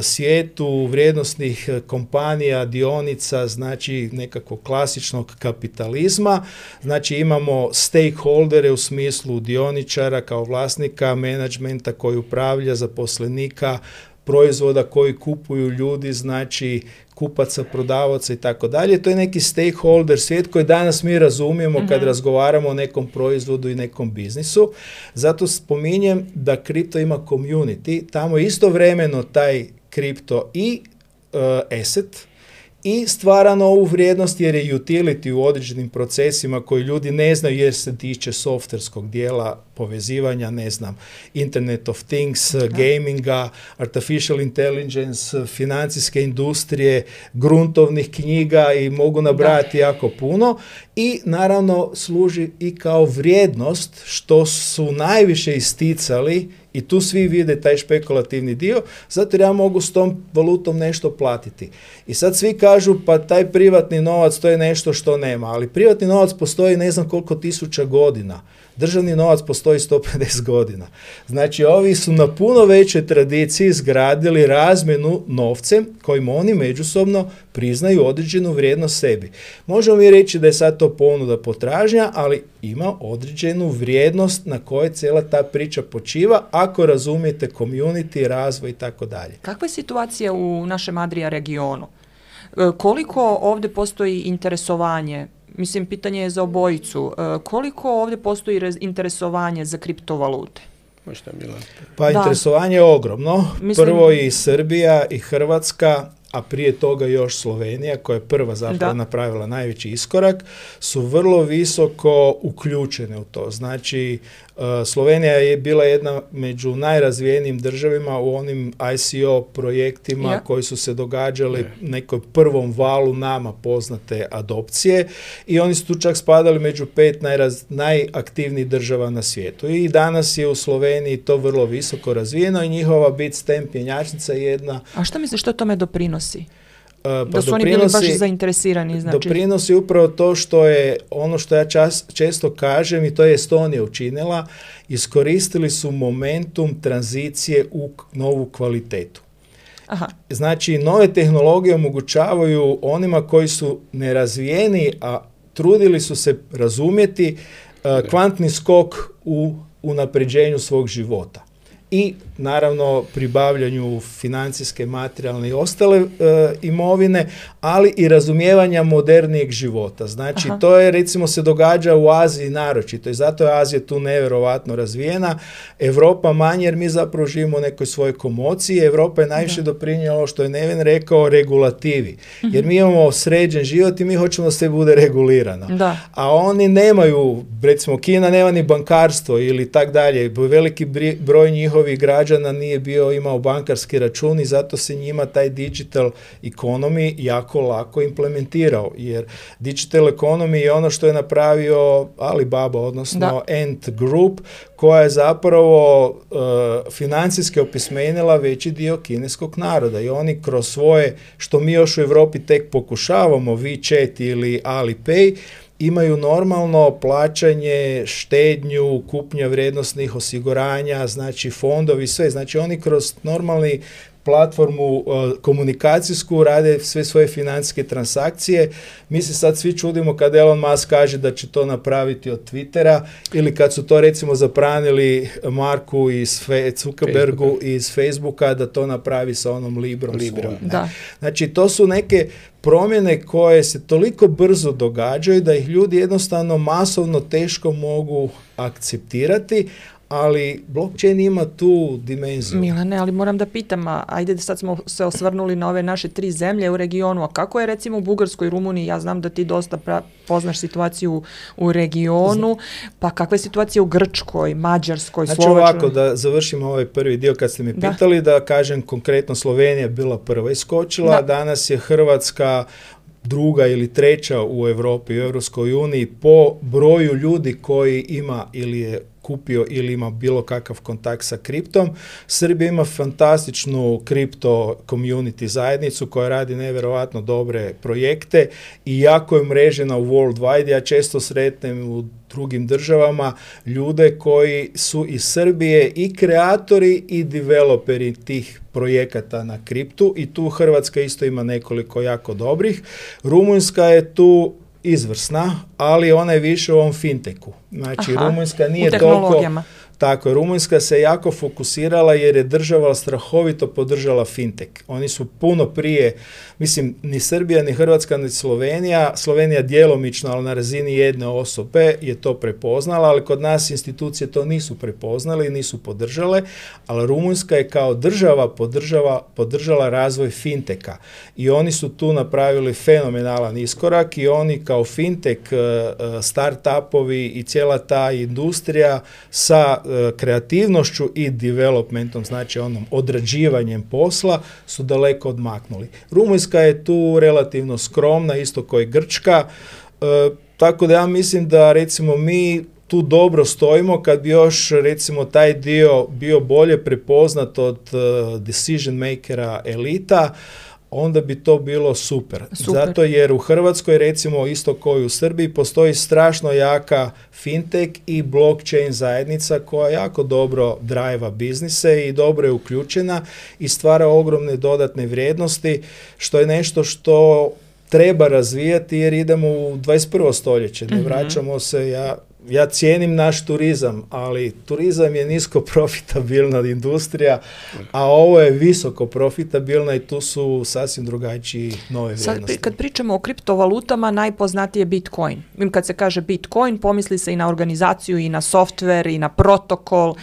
svijetu vrijednosnih kompanija, dionica, znači nekakvog klasičnog kapitalizma, znači imamo stakeholdere u smislu dioničara kao vlasnika, menadžmenta koji upravlja, zaposlenika, proizvoda koji kupuju ljudi, znači kupaca, prodavaca i tako dalje. To je neki stakeholder svijet koji danas mi razumijemo kad razgovaramo o nekom proizvodu i nekom biznisu. Zato spominjem da kripto ima community, tamo istovremeno taj kripto i asset i stvara novu vrijednost jer je utility u određenim procesima koji ljudi ne znaju jer se tiče softverskog dijela povezivanja, ne znam, Internet of Things, gaminga, artificial intelligence, financijske industrije, gruntovnih knjiga i mogu nabrajati jako puno i naravno služi i kao vrijednost što su najviše isticali i tu svi vide taj špekulativni dio, zato jer ja mogu s tom valutom nešto platiti. I sad svi kažu pa taj privatni novac to je nešto što nema, ali privatni novac postoji ne znam koliko tisuća godina. Državni novac postoji 150 godina. Znači, ovi su na puno većoj tradiciji izgradili razmjenu novcem kojim oni međusobno priznaju određenu vrijednost sebi. Možemo mi reći da je sad to ponuda potražnja, ali ima određenu vrijednost na kojoj cijela ta priča počiva ako razumijete community, razvoj i tako dalje. Kakva je situacija u našem Adria regionu? Koliko ovdje postoji interesovanje? Mislim, pitanje je za obojicu. Koliko ovdje postoji interesovanje za kriptovalute? Možda Milan. Pa interesovanje je ogromno. Prvo i Srbija i Hrvatska a prije toga još Slovenija, koja je prva zapravo napravila najveći iskorak, su vrlo visoko uključene u to. Znači, Slovenija je bila jedna među najrazvijenijim državama u onim ICO projektima koji su se događali nekoj prvom valu nama poznate adopcije i oni su tu čak spadali među 5 najaktivnijih država na svijetu. I danas je u Sloveniji to vrlo visoko razvijeno i njihova Bitstamp mjenjačnica je jedna... A šta misliš što tome doprinosi? Da su oni bili baš zainteresirani. Znači... Doprinosi upravo to što je ono što ja često kažem i to je Estonija učinila, iskoristili su momentum tranzicije u novu kvalitetu. Aha. Znači, nove tehnologije omogućavaju onima koji su nerazvijeni, a trudili su se razumjeti kvantni skok u unapređenju svog života. I naravno pribavljanju financijske, materijalne i ostale imovine, ali i razumijevanja modernijeg života. Znači, to je recimo se događa u Aziji naročito i zato je Azija tu nevjerovatno razvijena. Europa manje jer mi zapravo živimo u nekoj svojoj komociji. Europa je najviše doprinijela, što je Neven rekao, regulativi. Jer mi imamo sređen život i mi hoćemo da sve bude regulirano. Da. A oni nemaju, recimo Kina nema ni bankarstvo ili tak dalje. Veliki broj njihovih građana nije imao bankarski račun i zato se njima taj digital economy jako lako implementirao, jer digital economy je ono što je napravio Alibaba, odnosno Ant Group, koja je zapravo financijski opismenila veći dio kineskog naroda i oni kroz svoje, što mi još u Europi tek pokušavamo, WeChat ili Alipay, imaju normalno plaćanje, štednju, kupnja vrijednosnih osiguranja, znači fondovi, sve. Znači oni kroz normalni platformu komunikacijsku rade sve svoje financijske transakcije. Mi se sad svi čudimo kad Elon Musk kaže da će to napraviti od Twittera ili kad su to recimo zabranili Marku iz Zuckerbergu iz Facebooka da to napravi sa onom Librom. Da. Znači to su neke promjene koje se toliko brzo događaju da ih ljudi jednostavno masovno teško mogu akceptirati, ali blockchain ima tu dimenziju. Milane, ali moram da pitam, ajde da sad smo se osvrnuli na ove naše 3 zemlje u regionu, a kako je recimo u Bugarskoj i Rumuniji? Ja znam da ti dosta poznaš situaciju u regionu, pa kakva je situacija u Grčkoj, Mađarskoj, Slovačkoj? Znači ovako, da završimo ovaj prvi dio kad ste me pitali, da kažem konkretno Slovenija je bila prva iskočila, danas je Hrvatska druga ili treća u Europi, u Europskoj uniji po broju ljudi koji ima ili je kupio ili ima bilo kakav kontakt sa kriptom. Srbija ima fantastičnu kripto community zajednicu koja radi nevjerovatno dobre projekte i jako je mrežena u worldwide. Ja često sretnem u drugim državama ljude koji su iz Srbije i kreatori i developeri tih projekata na kriptu i tu Hrvatska isto ima nekoliko jako dobrih. Rumunjska je tu izvrsna, ali ona je više u ovom fintechu. Znači, Rumunjska nije toliko... Tako je, Rumunjska se jako fokusirala jer je država strahovito podržala fintech. Oni su puno prije, mislim, ni Srbija, ni Hrvatska, ni Slovenija djelomično, ali na razini jedne osobe je to prepoznala, ali kod nas institucije to nisu prepoznale i nisu podržale, ali Rumunjska je kao država podržala razvoj fintecha i oni su tu napravili fenomenalan iskorak i oni kao fintech, start-upovi i cijela ta industrija sa kreativnošću i developmentom, znači onom odrađivanjem posla, su daleko odmaknuli. Rumunjska je tu relativno skromna, isto kao i Grčka, tako da ja mislim da recimo mi tu dobro stojimo. Kad bi još recimo taj dio bio bolje prepoznat od decision makera elita, onda bi to bilo super. Zato jer u Hrvatskoj, recimo isto kao i u Srbiji, postoji strašno jaka fintech i blockchain zajednica koja jako dobro drajva biznise i dobro je uključena i stvara ogromne dodatne vrijednosti, što je nešto što treba razvijati jer idemo u 21. stoljeće. Ne vraćamo se, ja cijenim naš turizam, ali turizam je nisko profitabilna industrija, a ovo je visoko profitabilna i tu su sasvim drugačiji nove vrijednosti. Sad, kad pričamo o kriptovalutama, najpoznatiji je Bitcoin. Kad se kaže Bitcoin, pomisli se i na organizaciju, i na software, i na protokol.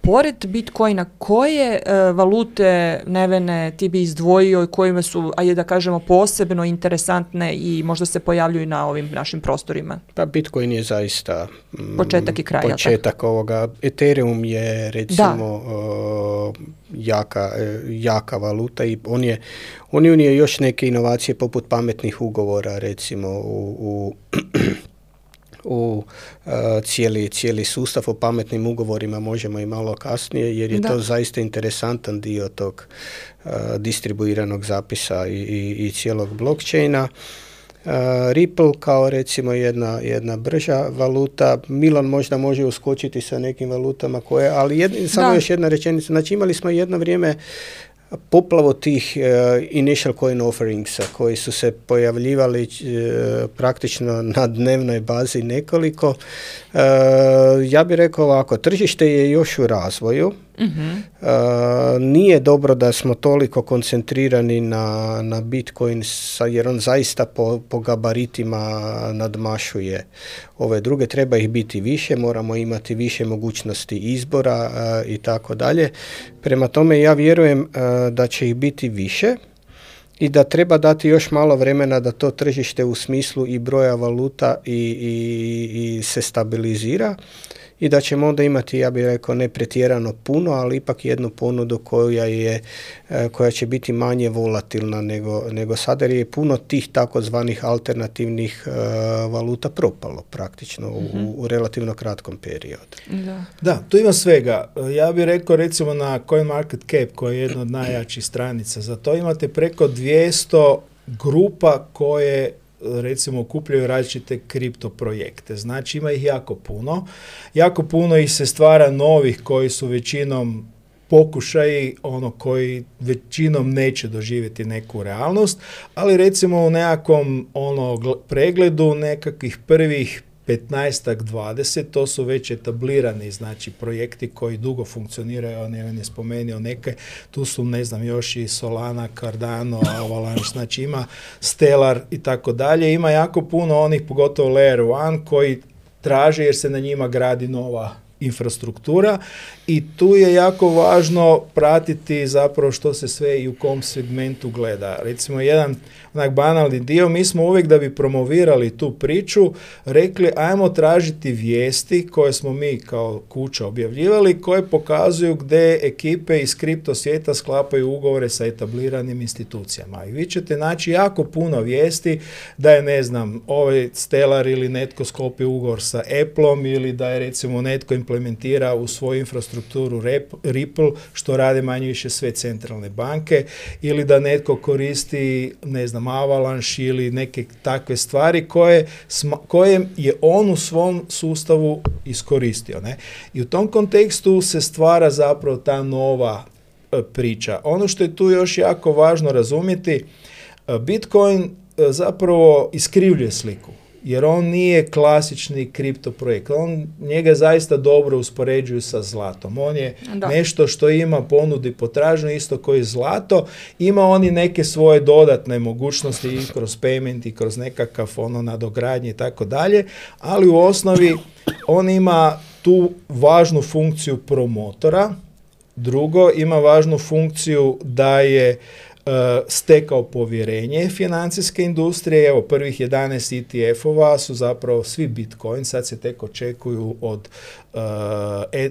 Pored Bitcoina, koje valute, Nevene, ti bi izdvojio i kojima su, ajde da kažemo, posebno interesantne i možda se pojavljuju na ovim našim prostorima? Pa Bitcoin je zaista početak i kraj. Početak ovoga. Ethereum je recimo jaka valuta i on je unio još neke inovacije poput pametnih ugovora, recimo u cijeli sustav. O pametnim ugovorima možemo i malo kasnije, jer je to zaista interesantan dio tog distribuiranog zapisa i cijelog blockchaina. Ripple kao recimo jedna brža valuta. Milan možda može uskočiti sa nekim valutama ali samo još jedna rečenica. Znači imali smo jedno vrijeme poplavu tih initial coin offeringsa koji su se pojavljivali praktično na dnevnoj bazi nekoliko. Ja bih rekao ovako, tržište je još u razvoju. Nije dobro da smo toliko koncentrirani na Bitcoin, jer on zaista po gabaritima nadmašuje ove druge. Treba ih biti više, moramo imati više mogućnosti izbora i tako dalje. Prema tome ja vjerujem da će ih biti više i da treba dati još malo vremena da to tržište u smislu i broja valuta i se stabilizira. I da ćemo onda imati, ja bih rekao, ne pretjerano puno, ali ipak jednu ponudu koja će biti manje volatilna nego sada, jer je puno tih takozvanih alternativnih valuta propalo praktično u relativno kratkom periodu. Da, tu ima svega. Ja bih rekao recimo na CoinMarketCap, koja je jedna od najjačih stranica, za to imate preko 200 grupa koje recimo okupljaju različite kripto projekte. Znači ima ih jako puno ih se stvara novih koji su većinom pokušaji koji većinom neće doživjeti neku realnost, ali recimo u nekakvom pregledu nekakvih prvih 15-ak, 20, to su već etablirani, znači projekti koji dugo funkcioniraju, Neven je spomenuo neke, tu su još i Solana, Cardano, Avalanche, znači ima Stellar i tako dalje, ima jako puno onih, pogotovo Layer 1, koji traže jer se na njima gradi nova infrastruktura i tu je jako važno pratiti zapravo što se sve i u kom segmentu gleda. Recimo jedan banalni dio, mi smo uvijek da bi promovirali tu priču rekli ajmo tražiti vijesti koje smo mi kao kuća objavljivali, koje pokazuju gdje ekipe iz kripto svijeta sklapaju ugovore sa etabliranim institucijama. I vi ćete naći jako puno vijesti da je ovaj Stellar ili netko sklopio ugovor sa Appleom ili da je recimo netko implementira u svoju infrastrukturu Ripple, što rade manje više sve centralne banke, ili da netko koristi, Avalanche ili neke takve stvari koje je on u svom sustavu iskoristio. Ne? I u tom kontekstu se stvara zapravo ta nova priča. Ono što je tu još jako važno razumjeti, Bitcoin zapravo iskrivljuje sliku. Jer on nije klasični kripto projekt. Njega zaista dobro uspoređuju sa zlatom. On je nešto što ima ponudu i potražnju, isto koji zlato. Ima oni neke svoje dodatne mogućnosti i kroz payment i kroz nekakav nadogradnje i tako dalje, ali u osnovi on ima tu važnu funkciju promotora. Drugo, ima važnu funkciju da je stekao povjerenje financijske industrije. Evo, prvih 11 ETF-ova su zapravo svi Bitcoin, sad se tek očekuju od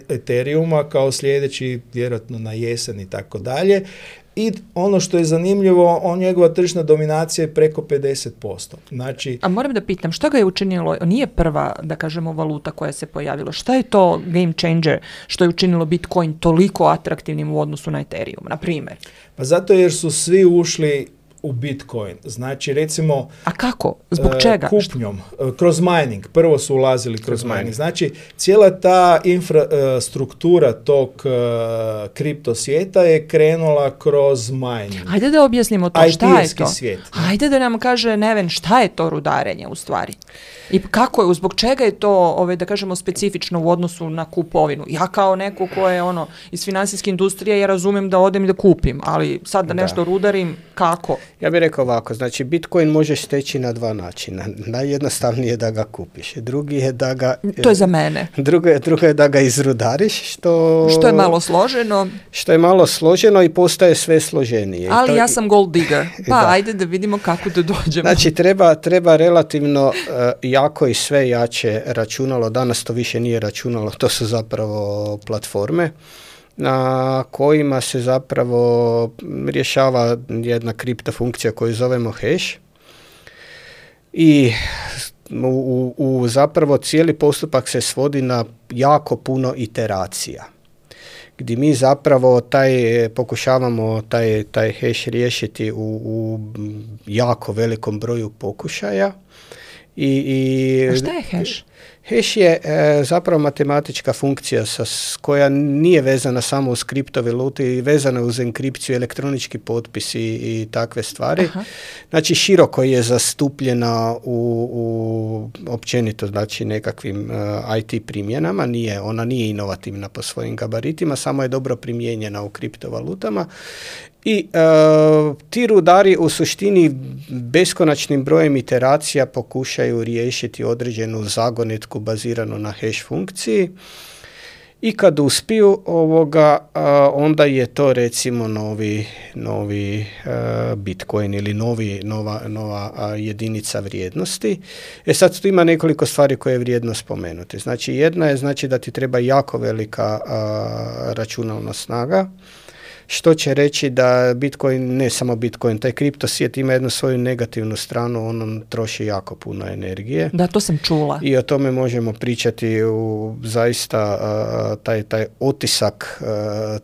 Ethereuma kao sljedeći, vjerojatno na jesen i tako dalje. I ono što je zanimljivo, njegova tržišna dominacija je preko 50%. Znači, a moram da pitam, što ga je učinilo, nije prva, da kažemo, valuta koja se pojavila, šta je to game changer što je učinilo Bitcoin toliko atraktivnim u odnosu na Ethereum, na primjer? Pa zato jer su svi ušli u Bitcoin. Znači, recimo... A kako? Zbog čega? Kupnjom. Kroz mining. Prvo su ulazili kroz mining. Znači, cijela ta infrastruktura tog kripto svijeta je krenula kroz mining. Hajde da objasnimo to. Šta je to? Svijet. Hajde da nam kaže Neven, šta je to rudarenje u stvari? I kako je, zbog čega je to, da kažemo, specifično u odnosu na kupovinu? Ja kao neko ko je iz finansijske industrije, ja razumem da odem i da kupim, ali sad da nešto rudarim, kako? Ja bih rekao ovako, znači Bitcoin možeš steći na dva načina. Najjednostavnije je da ga kupiš. Drugi je da ga... To je za mene. Drugo je da ga izrudariš, što je malo složeno. Što je malo složeno i postaje sve složenije. Ali ja sam gold digger, pa ajde da vidimo kako da dođemo. Znači treba relativno jako i sve jače računalo. Danas to više nije računalo, to su zapravo platforme na kojima se zapravo rješava jedna kripta funkcija koju zovemo hash i u zapravo cijeli postupak se svodi na jako puno iteracija gdje mi zapravo pokušavamo taj hash riješiti u jako velikom broju pokušaja. A šta je hash? Hash je zapravo matematička funkcija koja nije vezana samo uz kriptovaluti i vezana uz enkripciju, elektronički potpis i takve stvari. Aha. Znači široko je zastupljena u općenito znači nekakvim IT primjenama, ona nije inovativna po svojim gabaritima, samo je dobro primijenjena u kriptovalutama. I ti rudari u suštini beskonačnim brojem iteracija pokušaju riješiti određenu zagonetku baziranu na hash funkciji i kad uspiju onda je to recimo novi Bitcoin ili nova jedinica vrijednosti. Sad tu ima nekoliko stvari koje je vrijedno spomenuti. Znači jedna je da ti treba jako velika računalna snaga, što će reći da Bitcoin, ne samo Bitcoin, taj kripto svijet ima jednu svoju negativnu stranu, on troši jako puno energije. Da, to sam čula. I o tome možemo pričati zaista taj otisak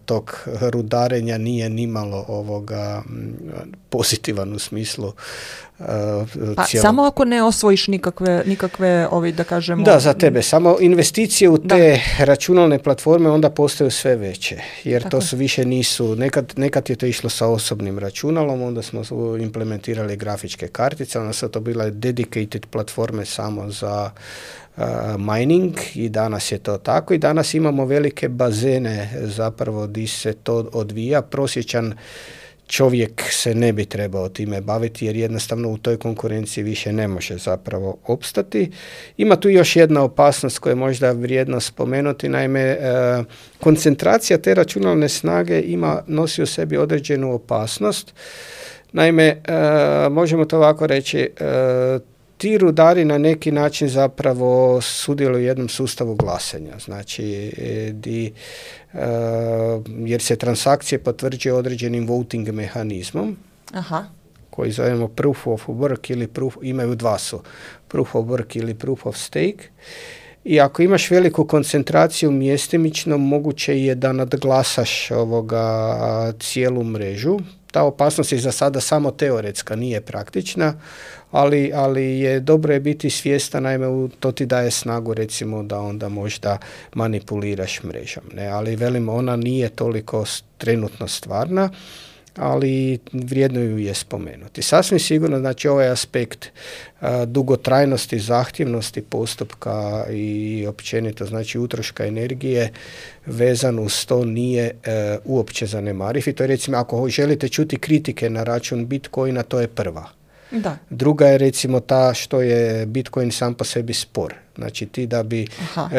tog rudarenja nije nimalo pozitivan u smislu samo ako ne osvojiš nikakve da kažemo... Da, za tebe. Samo investicije u te računalne platforme onda postaju sve veće. Jer tako. To su više nisu... Nekad je to išlo sa osobnim računalom, onda smo implementirali grafičke kartice, onda su to bile dedicated platforme samo za mining i danas je to tako i danas imamo velike bazene zapravo gdje se to odvija. Prosječan čovjek se ne bi trebao time baviti jer jednostavno u toj konkurenciji više ne može zapravo opstati. Ima tu još jedna opasnost koju je možda vrijedno spomenuti, naime koncentracija te računalne snage nosi u sebi određenu opasnost. Naime, možemo to ovako reći, ti rudari na neki način zapravo sudjeluju u jednom sustavu glasanja, znači jer se transakcije potvrđuje određenim voting mehanizmom. Aha. Koji zovemo proof of work ili imaju dva su, proof of work ili proof of stake. I ako imaš veliku koncentraciju mjestimično, moguće je da nadglasaš cijelu mrežu. Ta opasnost je za sada samo teoretska, nije praktična, ali je dobro je biti svjestan, naime to ti daje snagu recimo da onda možda manipuliraš mrežom. Ne? Ali velim, ona nije toliko trenutno stvarna, ali vrijedno ju je spomenuti. Sasvim sigurno, znači ovaj aspekt dugotrajnosti, zahtjevnosti postupka i općenito, znači utroška energije vezan uz to nije uopće zanemariv. I to je recimo, ako želite čuti kritike na račun Bitcoina, to je prva. Da. Druga je recimo ta što je Bitcoin sam po sebi spor. Znači ti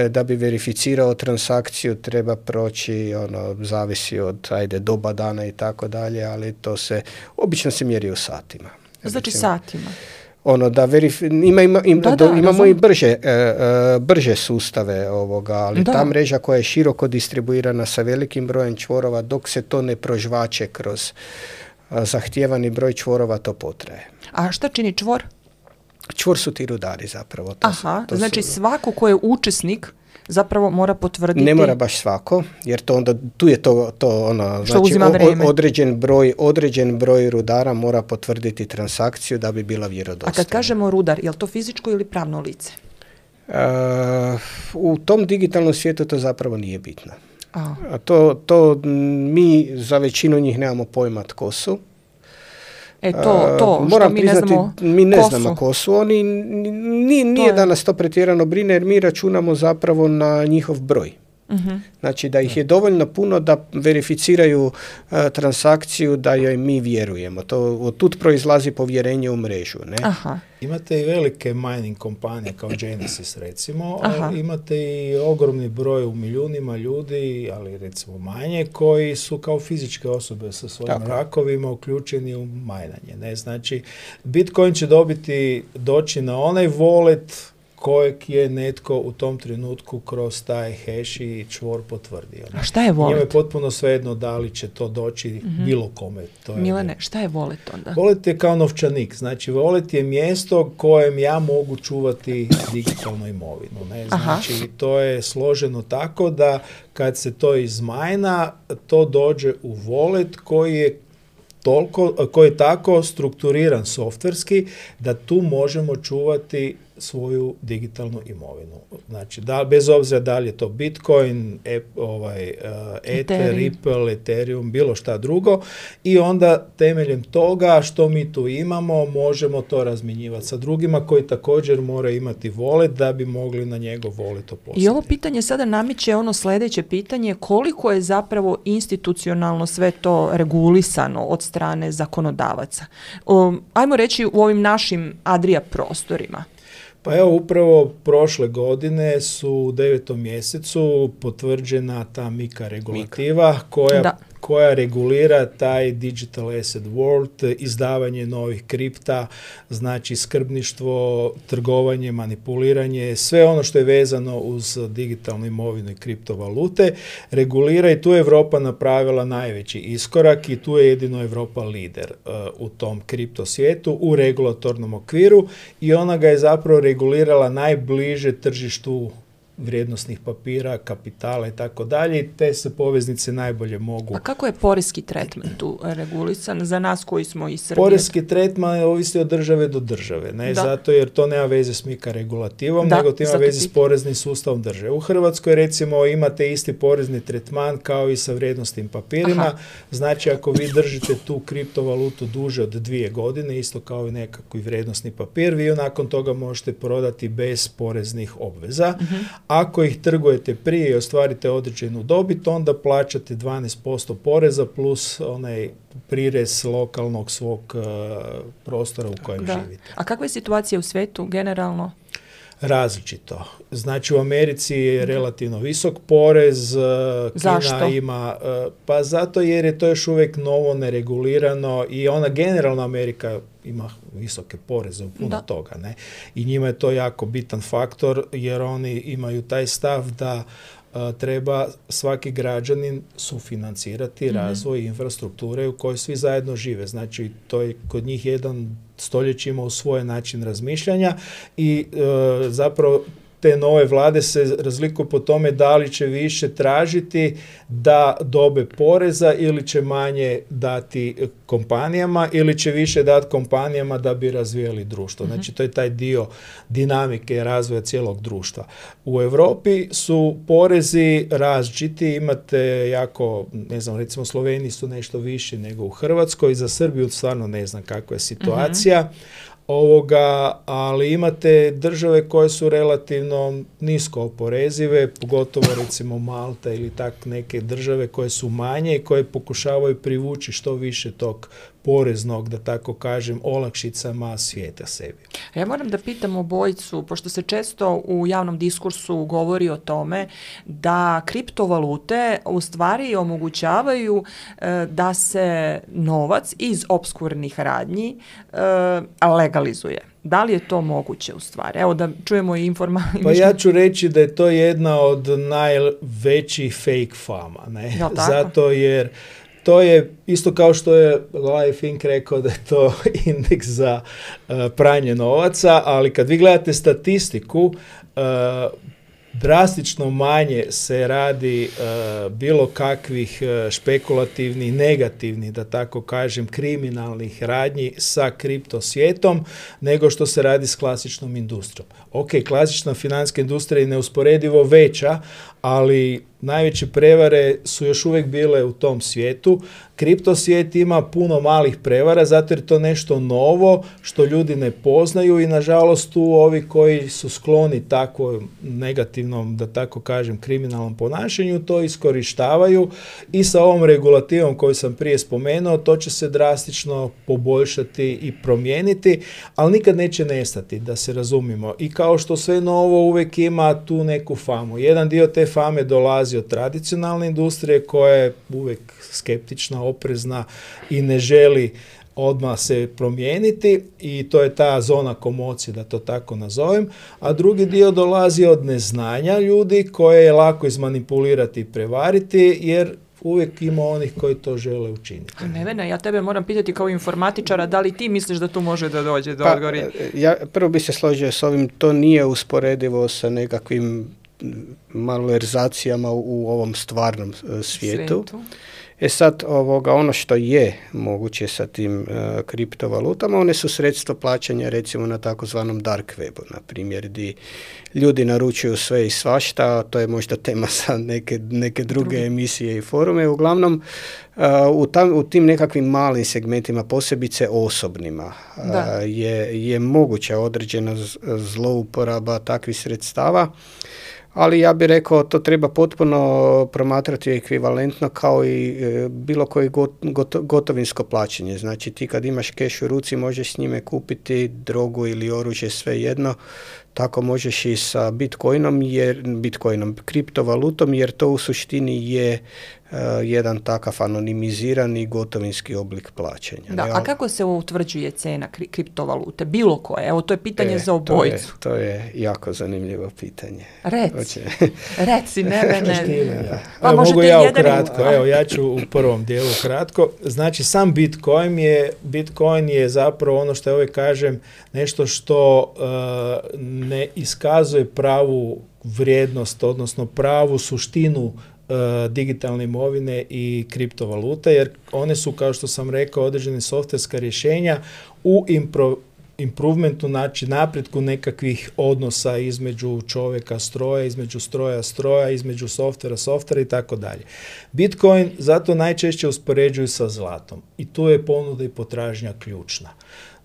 da bi verificirao transakciju treba proći, zavisi od doba dana i tako dalje, ali to se obično se mjeri u satima. Znači satima. Imamo i brže sustave ali ta mreža koja je široko distribuirana sa velikim brojem čvorova, dok se to ne prožvače kroz zahtijevani broj čvorova, to potraje. A šta čini čvor? Čvor su ti rudari zapravo. Znači svako ko je učesnik zapravo mora potvrditi... Ne mora baš svako, jer to onda, tu je to znači određen broj rudara mora potvrditi transakciju da bi bila vjerodostojna. A kad kažemo rudar, je li to fizičko ili pravno lice? U tom digitalnom svijetu to zapravo nije bitno. To mi za većinu njih nemamo pojma tko su. Moram priznati, mi ne znamo ko su. Oni nije da nas to pretjerano brine jer mi računamo zapravo na njihov broj. Znači da ih je dovoljno puno da verificiraju transakciju, da joj mi vjerujemo. Od tud proizlazi povjerenje u mrežu. Ne? Aha. Imate i velike mining kompanije kao Genesis recimo, ali imate i ogromni broj u milijunima ljudi, ali recimo manje, koji su kao fizičke osobe sa svojim rakovima uključeni u majnanje. Ne? Znači, Bitcoin će doći na onaj wallet kojeg je netko u tom trenutku kroz taj hash i čvor potvrdio. A šta je wallet? Njemu je potpuno svejedno da li će to doći bilo kome. Milane, šta je wallet onda? Wallet je kao novčanik. Znači, wallet je mjesto kojem ja mogu čuvati digitalnu imovinu. Ne? Znači, to je složeno tako da kad se to izmajna, to dođe u wallet koji je tako strukturiran softverski da tu možemo čuvati svoju digitalnu imovinu. Znači, bez obzira da li je to Bitcoin, Ether, Ripple, Ethereum, bilo šta drugo, i onda temeljem toga što mi tu imamo, možemo to razmjenjivati sa drugima koji također moraju imati wallet da bi mogli na njegov wallet poslati. I ovo pitanje sada namiče ono sljedeće pitanje, koliko je zapravo institucionalno sve to regulisano od strane zakonodavaca? Ajmo reći u ovim našim Adria prostorima. Pa evo, upravo prošle godine su u 9. mjesecu potvrđena ta MiCA regulativa koja regulira taj digital asset world, izdavanje novih kripta, znači skrbništvo, trgovanje, manipuliranje, sve ono što je vezano uz digitalnu imovinu i kriptovalute, regulira i tu je Europa napravila najveći iskorak i tu je jedino Europa lider u tom kripto svijetu u regulatornom okviru i ona ga je zapravo regulirala najbliže tržištu vrijednosnih papira, kapitala i tako dalje, i te se poveznice najbolje mogu. A kako je porezki tretman tu regulisan za nas koji smo iz Srbije? Porezki tretman ovisi od države do države, ne zato jer to nema veze s MiCA regulativom, nego to ima veze s poreznim sustavom države. U Hrvatskoj recimo imate isti porezni tretman kao i sa vrijednosnim papirima, znači ako vi držite tu kriptovalutu duže od 2 godine, isto kao i nekakvi vrijednosni papir, vi nakon toga možete prodati bez poreznih obveza. Ako ih trgujete prije i ostvarite određenu dobit, onda plaćate 12% poreza plus onaj prirez lokalnog svog prostora u kojem živite. A kakva je situacija u svijetu generalno? Različito. Znači u Americi je relativno visok porez. Kina ima, pa zato jer je to još uvijek novo, neregulirano i ona generalno Amerika ima visoke poreze u puno toga. Ne? I njima je to jako bitan faktor jer oni imaju taj stav da treba svaki građanin sufinancirati razvoj infrastrukture u kojoj svi zajedno žive. Znači, to je kod njih jedan stoljećima u svoj način razmišljanja i zapravo te nove vlade se razlikuju po tome da li će više tražiti da dobe poreza ili će manje dati kompanijama ili će više dati kompanijama da bi razvijali društvo. Znači to je taj dio dinamike razvoja cijelog društva. U Europi su porezi različiti, imate jako, ne znam, recimo Sloveniji su nešto viši nego u Hrvatskoj, za Srbiju stvarno ne znam kakva je situacija. Ali imate države koje su relativno nisko oporezive, pogotovo recimo Malta ili tak neke države koje su manje i koje pokušavaju privući što više tog poreznog, da tako kažem, olakšicama svijeta sebi. Ja moram da pitam obojicu, pošto se često u javnom diskursu govori o tome da kriptovalute u stvari omogućavaju da se novac iz opskurnih radnji legalizuje. Da li je to moguće u stvari? Evo da čujemo i informaciju. Pa ja ću reći da je to jedna od najvećih fake fama. Ne? Zato jer to je isto kao što je Larry Fink rekao da je to indeks za pranje novaca, ali kad vi gledate statistiku, drastično manje se radi bilo kakvih špekulativnih, negativnih, da tako kažem, kriminalnih radnji sa kripto svijetom nego što se radi s klasičnom industrijom. Ok, klasična financijska industrija je neusporedivo veća, ali najveće prevare su još uvijek bile u tom svijetu. Kripto svijet ima puno malih prevara, zato jer to nešto novo što ljudi ne poznaju i nažalost tu ovi koji su skloni tako negativnom, da tako kažem, kriminalnom ponašanju, to iskorištavaju i sa ovom regulativom koju sam prije spomenuo, to će se drastično poboljšati i promijeniti, ali nikad neće nestati, da se razumimo. I kao što sve novo uvijek ima tu neku famu. Jedan dio te fame dolazi od tradicionalne industrije koja je uvijek skeptična, oprezna i ne želi odmah se promijeniti i to je ta zona komocije, da to tako nazovem, a drugi dio dolazi od neznanja ljudi koje je lako izmanipulirati i prevariti, jer uvijek ima onih koji to žele učiniti. Nevena, ja tebe moram pitati kao informatičara, da li ti misliš da tu može da dođe do odgovora? Ja prvo bi se složio s ovim, to nije usporedivo sa nekakvim malverzacijama u ovom stvarnom svijetu. Sad, ono što je moguće sa tim kriptovalutama, one su sredstvo plaćanja recimo na takozvanom dark webu, na primjer, gdje ljudi naručuju sve i svašta, to je možda tema za neke druge emisije i forume. Uglavnom, u tim nekakvim malim segmentima, posebice osobnima, je moguća određena zlouporaba takvih sredstava. Ali ja bih rekao, to treba potpuno promatrati ekvivalentno kao i bilo koje gotovinsko plaćanje. Znači ti kad imaš keš u ruci možeš s njime kupiti drogu ili oružje, svejedno. Tako možeš i sa Bitcoinom, kriptovalutom, jer to u suštini je jedan takav anonimizirani gotovinski oblik plaćanja. Da, a kako se utvrđuje cena kriptovalute? Bilo koje? Evo, to je pitanje za obojicu. To je jako zanimljivo pitanje. Reci, Nevene. Pa mogu ja ukratko. Evo, ja ću u prvom dijelu kratko. Znači, sam Bitcoin je zapravo ono što ja uvijek kažem, nešto što ne iskazuje pravu vrijednost, odnosno pravu suštinu digitalne imovine i kriptovalute, jer one su, kao što sam rekao, određene softverska rješenja u improvementu, znači napretku nekakvih odnosa između čovjeka stroja, između stroja, između softvera i tako dalje. Bitcoin zato najčešće uspoređuju sa zlatom i tu je ponuda i potražnja ključna.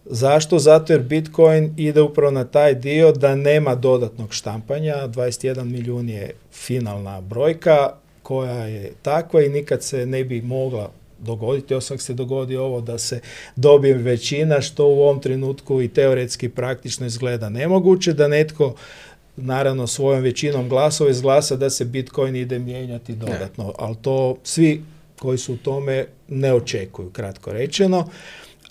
Zašto? Zato jer Bitcoin ide upravo na taj dio da nema dodatnog štampanja, 21 milijun je finalna brojka koja je takva i nikad se ne bi mogla dogoditi, osim se dogodi ovo da se dobije većina, što u ovom trenutku i teoretski praktično izgleda nemoguće, da netko naravno svojom većinom glasova izglasa da se Bitcoin ide mijenjati dodatno, ali to svi koji su u tome ne očekuju, kratko rečeno.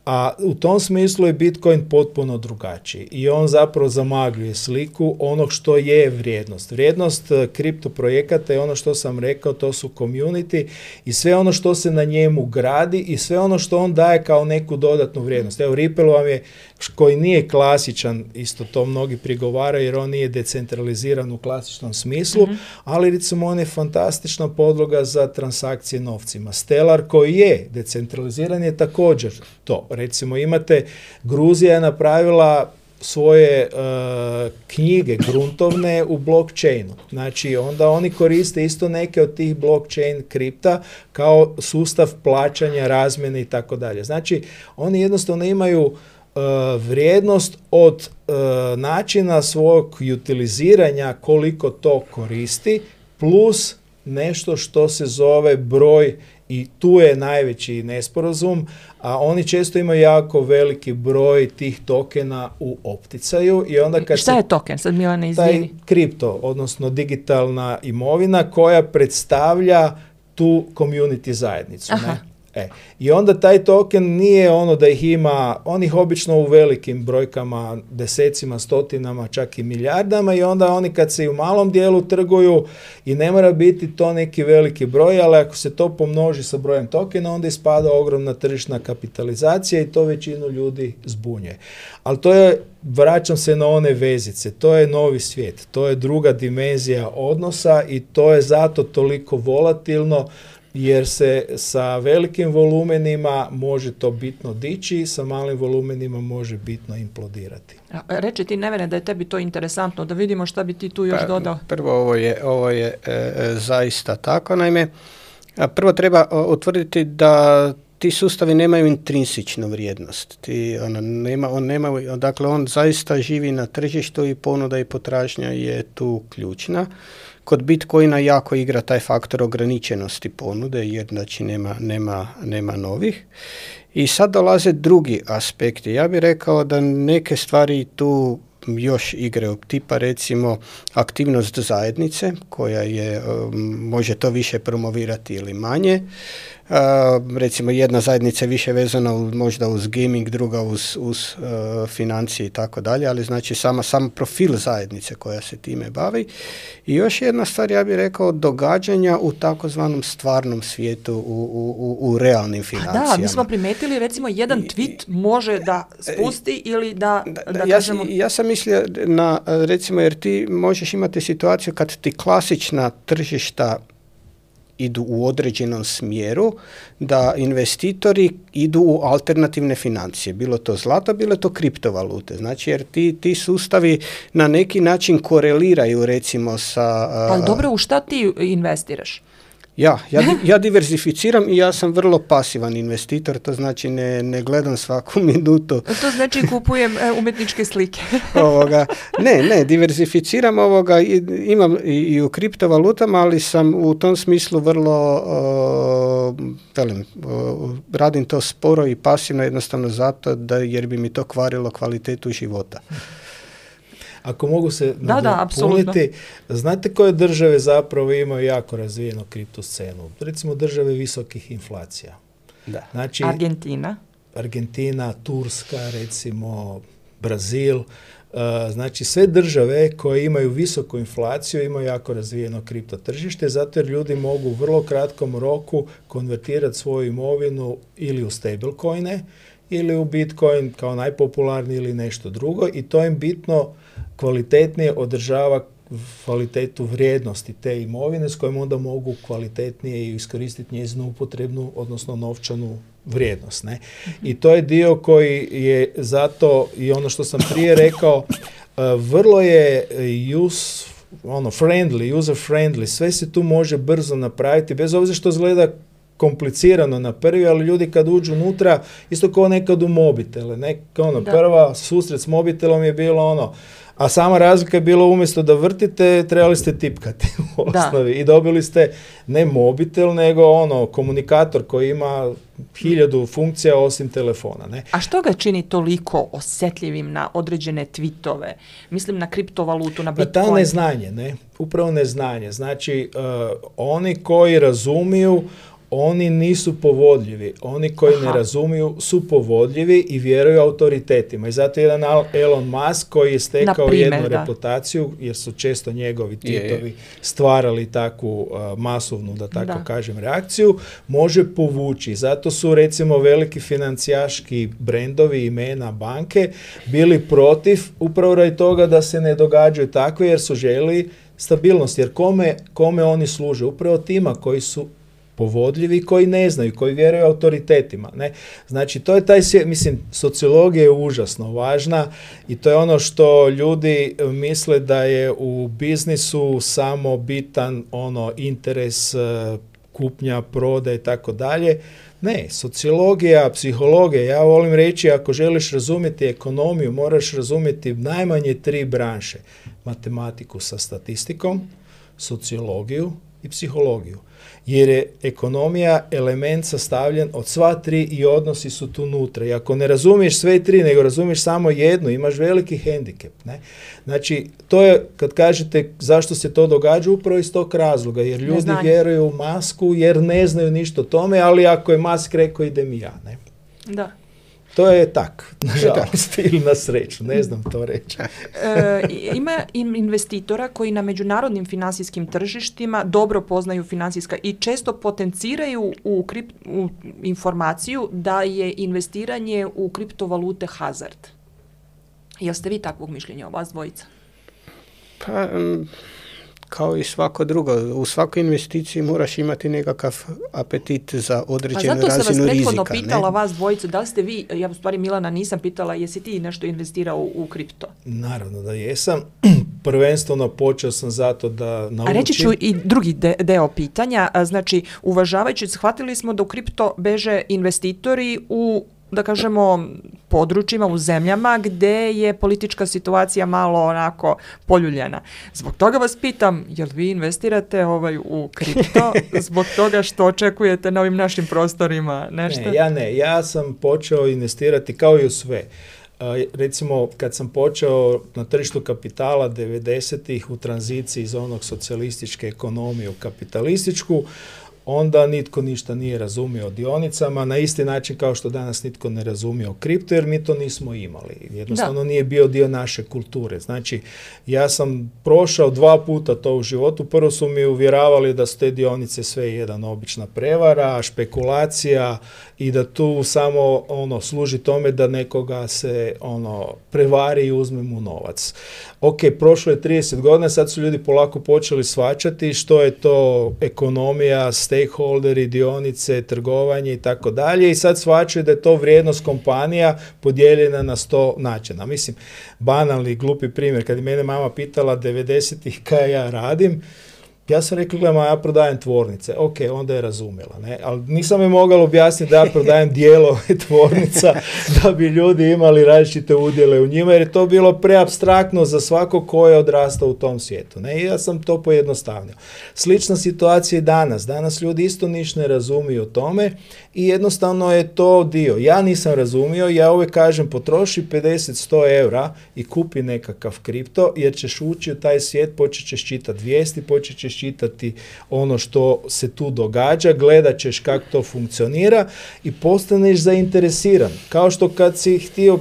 A u tom smislu je Bitcoin potpuno drugačiji i on zapravo zamagljuje sliku onog što je vrijednost. Vrijednost kriptoprojekata je ono što sam rekao, to su community i sve ono što se na njemu gradi i sve ono što on daje kao neku dodatnu vrijednost. Evo, Ripple vam je, koji nije klasičan, isto to mnogi prigovaraju jer on nije decentraliziran u klasičnom smislu, ali recimo on je fantastična podloga za transakcije novcima. Stellar koji je decentraliziran je također to. Recimo imate, Gruzija je napravila svoje knjige gruntovne u blockchainu. Znači onda oni koriste isto neke od tih blockchain kripta kao sustav plaćanja, razmjene i tako dalje. Znači oni jednostavno imaju vrijednost od načina svog utiliziranja koliko to koristi plus nešto što se zove broj. I tu je najveći nesporazum, a oni često imaju jako veliki broj tih tokena u opticaju. I onda kad šta je token? Sad Milana izvini. Taj kripto, odnosno digitalna imovina koja predstavlja tu community zajednicu. Ne? I onda taj token nije ono da ih ima, on ih obično u velikim brojkama, desecima, stotinama, čak i milijardama i onda oni kad se u malom dijelu trguju i ne mora biti to neki veliki broj, ali ako se to pomnoži sa brojem tokena, onda ispada ogromna tržišna kapitalizacija i to većinu ljudi zbunjuje. Ali to je, vraćam se na one vezice, to je novi svijet, to je druga dimenzija odnosa i to je zato toliko volatilno. jer se sa velikim volumenima može to bitno dići, sa malim volumenima može bitno implodirati. Reči ti, Nevene, da je tebi to interesantno, da vidimo šta bi ti tu još dodao. Prvo, ovo je zaista tako. Naime, prvo treba utvrditi da ti sustavi nemaju intrinsičnu vrijednost. Dakle, on zaista živi na tržištu i ponuda i potražnja je tu ključna. Kod Bitcoina jako igra taj faktor ograničenosti ponude, jer znači nema novih. I sad dolaze drugi aspekti. Ja bih rekao da neke stvari tu još igraju, tipa recimo aktivnost zajednice, koja je, može to više promovirati ili manje. Recimo jedna zajednica je više vezana možda uz gaming, druga uz financije i tako dalje, ali znači sam profil zajednice koja se time bavi. I još jedna stvar, ja bih rekao, događanja u takozvanom stvarnom svijetu, u realnim financijama. Da, mi smo primetili, recimo, jedan tweet može da spusti ili da kažemo... Ja sam mislio na, recimo, jer ti možeš imati situaciju kad ti klasična tržišta idu u određenom smjeru, da investitori idu u alternativne financije. Bilo to zlato, bilo to kriptovalute. Znači, jer ti sustavi na neki način koreliraju, recimo, sa... Ali dobro, u šta ti investiraš? Ja diverzificiram i ja sam vrlo pasivan investitor, to znači ne gledam svaku minutu. To znači kupujem umjetničke slike. Diverzificiram imam i u kriptovalutama, ali sam u tom smislu vrlo, radim to sporo i pasivno jednostavno zato jer bi mi to kvarilo kvalitetu života. Ako mogu se nadopuniti, znate koje države zapravo imaju jako razvijenu kripto scenu? Recimo države visokih inflacija. Da. Znači, Argentina, Turska, recimo Brazil. Znači sve države koje imaju visoku inflaciju imaju jako razvijeno kripto tržište, zato jer ljudi mogu u vrlo kratkom roku konvertirati svoju imovinu ili u stablecoine ili u Bitcoin kao najpopularniji ili nešto drugo i to im bitno kvalitetnije održava kvalitetu vrijednosti te imovine s kojom onda mogu kvalitetnije iskoristiti njezinu upotrebnu, odnosno novčanu vrijednost. Ne? I to je dio koji je zato i ono što sam prije rekao, vrlo je user friendly, sve se tu može brzo napraviti, bez obzira što izgleda komplicirano na prvi, ali ljudi kad uđu unutra, isto kao nekad u mobitele. Prva susret s mobitelom je bilo a sama razlika je bila umjesto da vrtite, trebali ste tipkati u osnovi. I dobili ste ne mobitel, nego komunikator koji ima 1000 funkcija osim telefona. Ne? A što ga čini toliko osjetljivim na određene tweetove? Mislim na kriptovalutu, na Bitcoin. Ta neznanje, upravo neznanje. Znači, oni koji razumiju, oni nisu povodljivi. Oni koji ne razumiju su povodljivi i vjeruju autoritetima. I zato jedan Elon Musk koji je stekao jednu reputaciju, jer su često njegovi tweetovi stvarali takvu masovnu, da tako kažem, reakciju, može povući. Zato su recimo veliki financijaški brendovi, imena, banke bili protiv upravo radi toga da se ne događaju takve, jer su željeli stabilnost. Jer kome oni služe? Upravo tima koji su povodljivi, koji ne znaju, koji vjeruju autoritetima. Ne? Znači, to je taj svijet, sociologija je užasno važna i to je ono što ljudi misle da je u biznisu samo bitan interes kupnja, prodaje i tako dalje. Ne, sociologija, psihologija, ja volim reći, ako želiš razumjeti ekonomiju, moraš razumjeti najmanje 3 branše. Matematiku sa statistikom, sociologiju i psihologiju. Jer je ekonomija element sastavljen od sva 3 i odnosi su tu unutra. I ako ne razumiješ sve 3, nego razumiješ samo jednu, imaš veliki hendikep. Ne? Znači, to je, kad kažete zašto se to događa, upravo iz tog razloga. Jer ljudi vjeruju u Masku, jer ne znaju ništa o tome, ali ako je Musk rekao, idem i ja. Ne? Da. To je tak, nažalost, ili na sreću, ne znam to reći. Ima investitora koji na međunarodnim finansijskim tržištima dobro poznaju financijska i često potenciraju u informaciju da je investiranje u kriptovalute hazard. Jel ste vi takvog mišljenja, vas dvojica? Pa, kao i svako drugo. U svakoj investiciji moraš imati nekakav apetit za određenu razinu rizika. Pa zato sam vas prethodno rizika, pitala vas dvojicu, da li ste vi, ja u stvari Milana nisam pitala, jesi ti nešto investirao u kripto? Naravno da jesam. Prvenstveno počeo sam zato da naučim. A reći ću i drugi deo pitanja, znači uvažavajući, shvatili smo da u kripto beže investitori u, da kažemo, područjima, u zemljama gde je politička situacija malo onako poljuljana. Zbog toga vas pitam, jel vi investirate u kripto zbog toga što očekujete na ovim našim prostorima nešto? Ne. Ja sam počeo investirati kao i u sve. Recimo, kad sam počeo na tržištu kapitala 90-ih u tranziciji iz onog socijalističke ekonomije u kapitalističku, onda nitko ništa nije razumio o dionicama, na isti način kao što danas nitko ne razumije o kripto, jer mi to nismo imali. Jednostavno nije bio dio naše kulture. Znači, ja sam prošao 2 puta to u životu. Prvo su mi uvjeravali da su te dionice sve jedan obična prevara, špekulacija i da tu samo služi tome da nekoga se prevari i uzme mu novac. Ok, prošlo je 30 godina, sad su ljudi polako počeli shvaćati što je to ekonomija, stakeholderi, dionice, trgovanje i tako dalje, i sad shvaćaju da je to vrijednost kompanija podijeljena na 100 načina. Mislim, banalni, glupi primjer, kad je mene mama pitala 90-ih kaj ja radim, ja sam rekao, gledaj, ja prodajem tvornice. Ok, onda je razumjela. Ne? Ali nisam je mogao objasniti da ja prodajem dijelove tvornica da bi ljudi imali različite udjele u njima, jer je to bilo preapstraktno za svako ko je odrastao u tom svijetu. Ne? I ja sam to pojednostavnio. Slična situacija i danas. Danas ljudi isto ništa ne razumiju o tome i jednostavno je to dio. Ja nisam razumio, ja uvijek kažem, potroši 50-100 eura i kupi nekakav kripto, jer ćeš ući u taj svijet, počet ćeš čitati vijesti, počet ćeš čitati ono što se tu događa, gledat ćeš kako to funkcionira i postaneš zainteresiran. Kao što kad si htio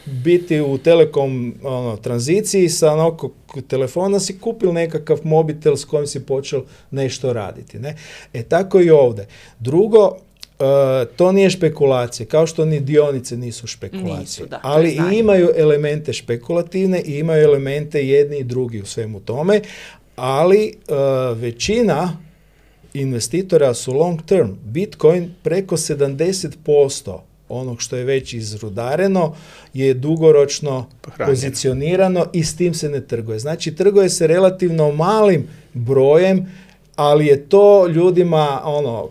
biti u telekom tranziciji sa nekog telefona si kupil nekakav mobitel s kojim si počeo nešto raditi. Ne? Tako i ovdje. Drugo, to nije špekulacija, kao što ni dionice nisu špekulacije. Ali i imaju elemente špekulativne i imaju elemente jedni i drugi u svemu tome, ali većina investitora su long term. Bitcoin preko 70% onog što je već izrudareno je dugoročno pozicionirano i s tim se ne trguje. Znači, trguje se relativno malim brojem, ali je to ljudima,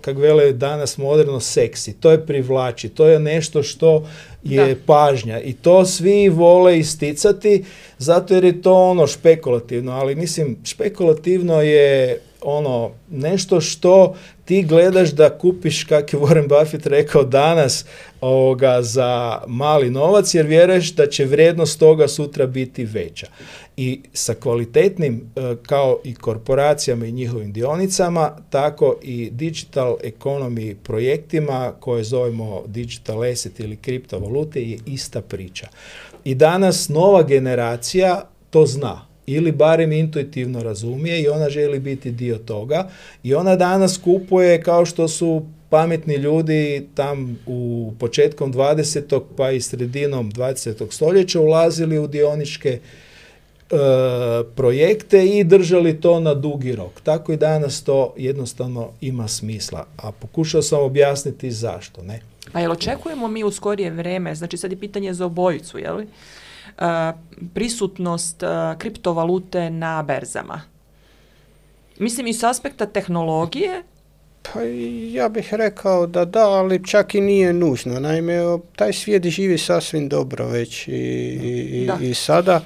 kako vele danas moderno, seksi. To je privlači, to je nešto što je pažnja i to svi vole isticati zato jer je to špekulativno, ali mislim, špekulativno je nešto što ti gledaš da kupiš, kako je Warren Buffett rekao danas, za mali novac, jer vjeruješ da će vrijednost toga sutra biti veća. I sa kvalitetnim, kao i korporacijama i njihovim dionicama, tako i digital economy projektima koje zovemo digital asset ili kriptovalute je ista priča. I danas nova generacija to zna ili barem intuitivno razumije i ona želi biti dio toga i ona danas kupuje kao što su pametni ljudi tam u početkom 20. pa i sredinom 20. stoljeća ulazili u dioničke projekte i držali to na dugi rok. Tako i danas to jednostavno ima smisla. A pokušao sam objasniti zašto, ne? A jel očekujemo mi u skorije vreme, znači sad je pitanje za obojicu, je li? Prisutnost kriptovalute na berzama? Mislim i s aspekta tehnologije? Pa ja bih rekao da, ali čak i nije nužno. Naime, taj svijet živi sasvim dobro već i sada.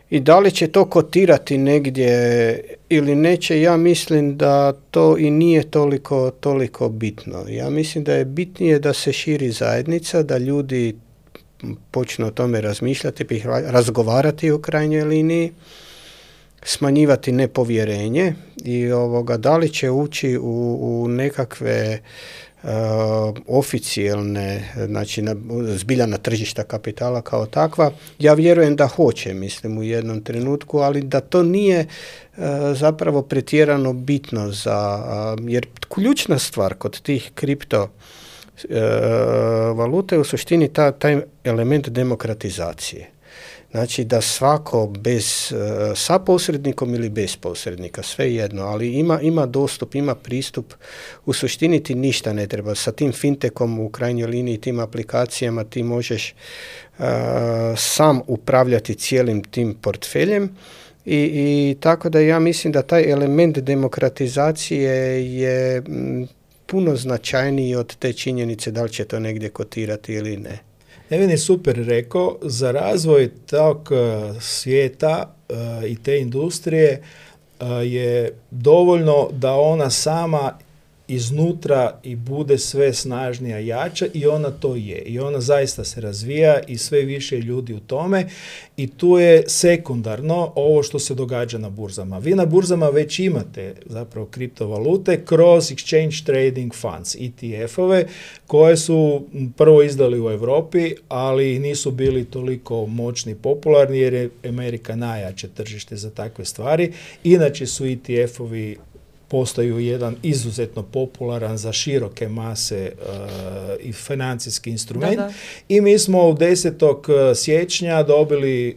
I da li će to kotirati negdje ili neće, ja mislim da to i nije toliko bitno. Ja mislim da je bitnije da se širi zajednica, da ljudi počnu o tome razmišljati, razgovarati u krajnjoj liniji, smanjivati nepovjerenje i da li će ući u nekakve oficijelne, znači zbilja na tržišta kapitala kao takva. Ja vjerujem da hoće, mislim, u jednom trenutku, ali da to nije zapravo pretjerano bitno jer ključna stvar kod tih kripto valute u suštini taj element demokratizacije. Znači da svako bez, sa posrednikom ili bez posrednika, sve jedno, ali ima dostup, ima pristup, u suštini ti ništa ne treba. Sa tim fintechom u krajnjoj liniji, tim aplikacijama ti možeš sam upravljati cijelim tim portfeljem i tako da ja mislim da taj element demokratizacije je puno značajniji od te činjenice da li će to negdje kotirati ili ne. Nevin je super rekao, za razvoj tog svijeta i te industrije je dovoljno da ona sama iznutra i bude sve snažnija, jača i ona to je. I ona zaista se razvija i sve više ljudi u tome i tu je sekundarno ovo što se događa na burzama. Vi na burzama već imate zapravo kriptovalute kroz Exchange Trading Funds, ETF-ove, koje su prvo izdali u Europi, ali nisu bili toliko moćni i popularni jer je Amerika najjače tržište za takve stvari. Inače su ETF-ovi postaju jedan izuzetno popularan za široke mase i financijski instrument. Da. I mi smo u 10. siječnja dobili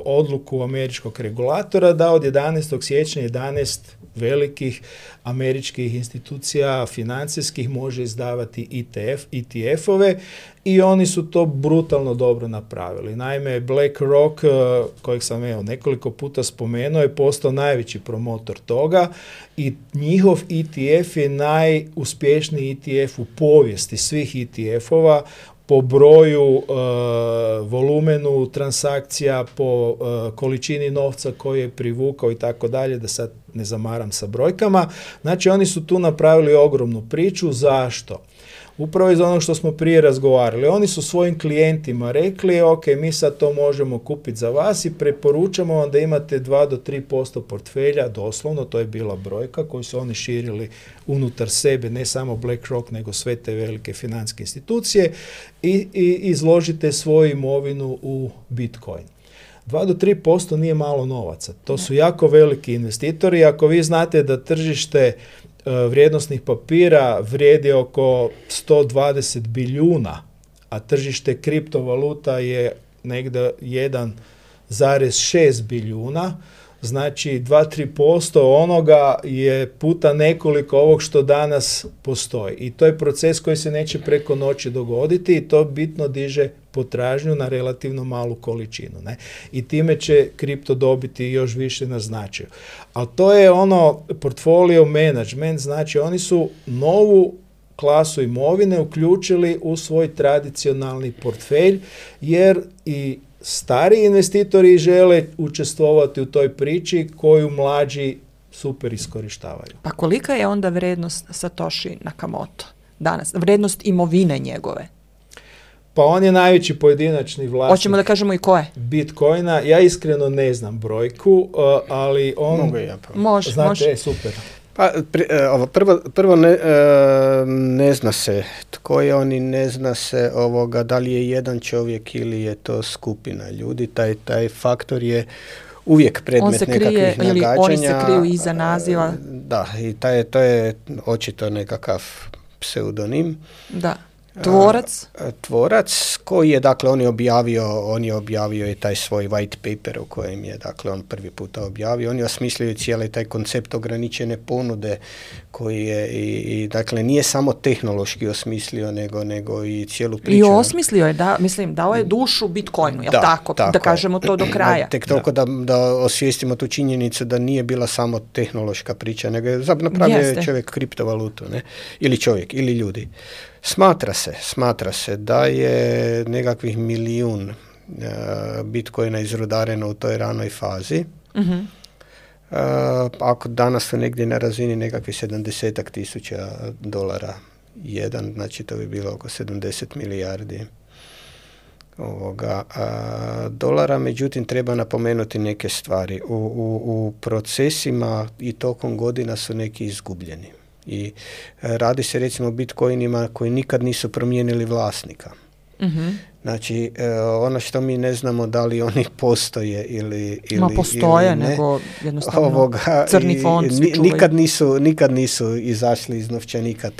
odluku američkog regulatora da od 11. siječnja 11 velikih američkih institucija financijskih može izdavati ETF-ove i oni su to brutalno dobro napravili. Naime, BlackRock, kojeg sam nekoliko puta spomenuo, je postao najveći promotor toga i njihov ETF je najuspješniji ETF u povijesti svih ETF-ova po broju, volumenu transakcija, po količini novca koji je privukao i tako dalje, da sad ne zamaram sa brojkama. Znači, oni su tu napravili ogromnu priču. Zašto? Upravo iz onog što smo prije razgovarali. Oni su svojim klijentima rekli, ok, mi sad to možemo kupiti za vas i preporučamo vam da imate 2 do 3% portfelja, doslovno, to je bila brojka koju su oni širili unutar sebe, ne samo BlackRock, nego sve te velike financijske institucije i izložite svoju imovinu u Bitcoin. 2 do 3% nije malo novaca. To su jako veliki investitori. Ako vi znate da tržište vrijednosnih papira vrijedi oko 120 bilijuna, a tržište kriptovaluta je negdje 1,6 bilijuna, znači 2-3% onoga je puta nekoliko ovog što danas postoji. I to je proces koji se neće preko noći dogoditi i to bitno diže potražnju na relativno malu količinu. Ne? I time će kripto dobiti još više na značaju. Ali to je ono portfolio management, znači oni su novu klasu imovine uključili u svoj tradicionalni portfelj, jer i stari investitori žele učestvovati u toj priči koju mlađi super iskorištavaju. Pa kolika je onda vrednost Satoshi Nakamoto danas? Vrednost imovine njegove? Pa on je najveći pojedinačni vlasnik. Hoćemo da kažemo i ko je? Bitcoina. Ja iskreno ne znam brojku, ali on... Mogu ja pa. Može. Super. Pa, prvo ne zna se tko je on i ne zna se da li je jedan čovjek ili je to skupina ljudi. Taj faktor je uvijek predmet nekakvih nagađanja. Oni se kriju iza naziva. Da, i to je očito nekakav pseudonim. Da. Tvorac koji je, dakle, on je objavio i taj svoj white paper u kojem je, dakle, on prvi puta objavio. On je osmislio cijeli taj koncept ograničene ponude koji je i dakle, nije samo tehnološki osmislio, nego i cijelu priču. I osmislio je, dao je dušu Bitcoinu, jel tako? Da kažemo to do kraja. Tek toliko da osvijestimo tu činjenicu da nije bila samo tehnološka priča, nego je napravio čovjek kriptovalutu, ne? Ili čovjek, ili ljudi. Smatra se da je nekakvih 1 milijun Bitcoina izrudareno u toj ranoj fazi. Uh-huh. Ako danas su negdje na razini nekakvih 70.000 dolara jedan, znači to bi bilo oko 70 milijardi dolara. Međutim, treba napomenuti neke stvari. U procesima i tokom godina su neki izgubljeni. I radi se recimo o bitcoinima koji nikad nisu promijenili vlasnika. Mm-hmm. Znači, ono što mi ne znamo da li oni postoje ili postoje, ili ne. Nego jednostavno crni fond nikad nisu izašli iz novčanika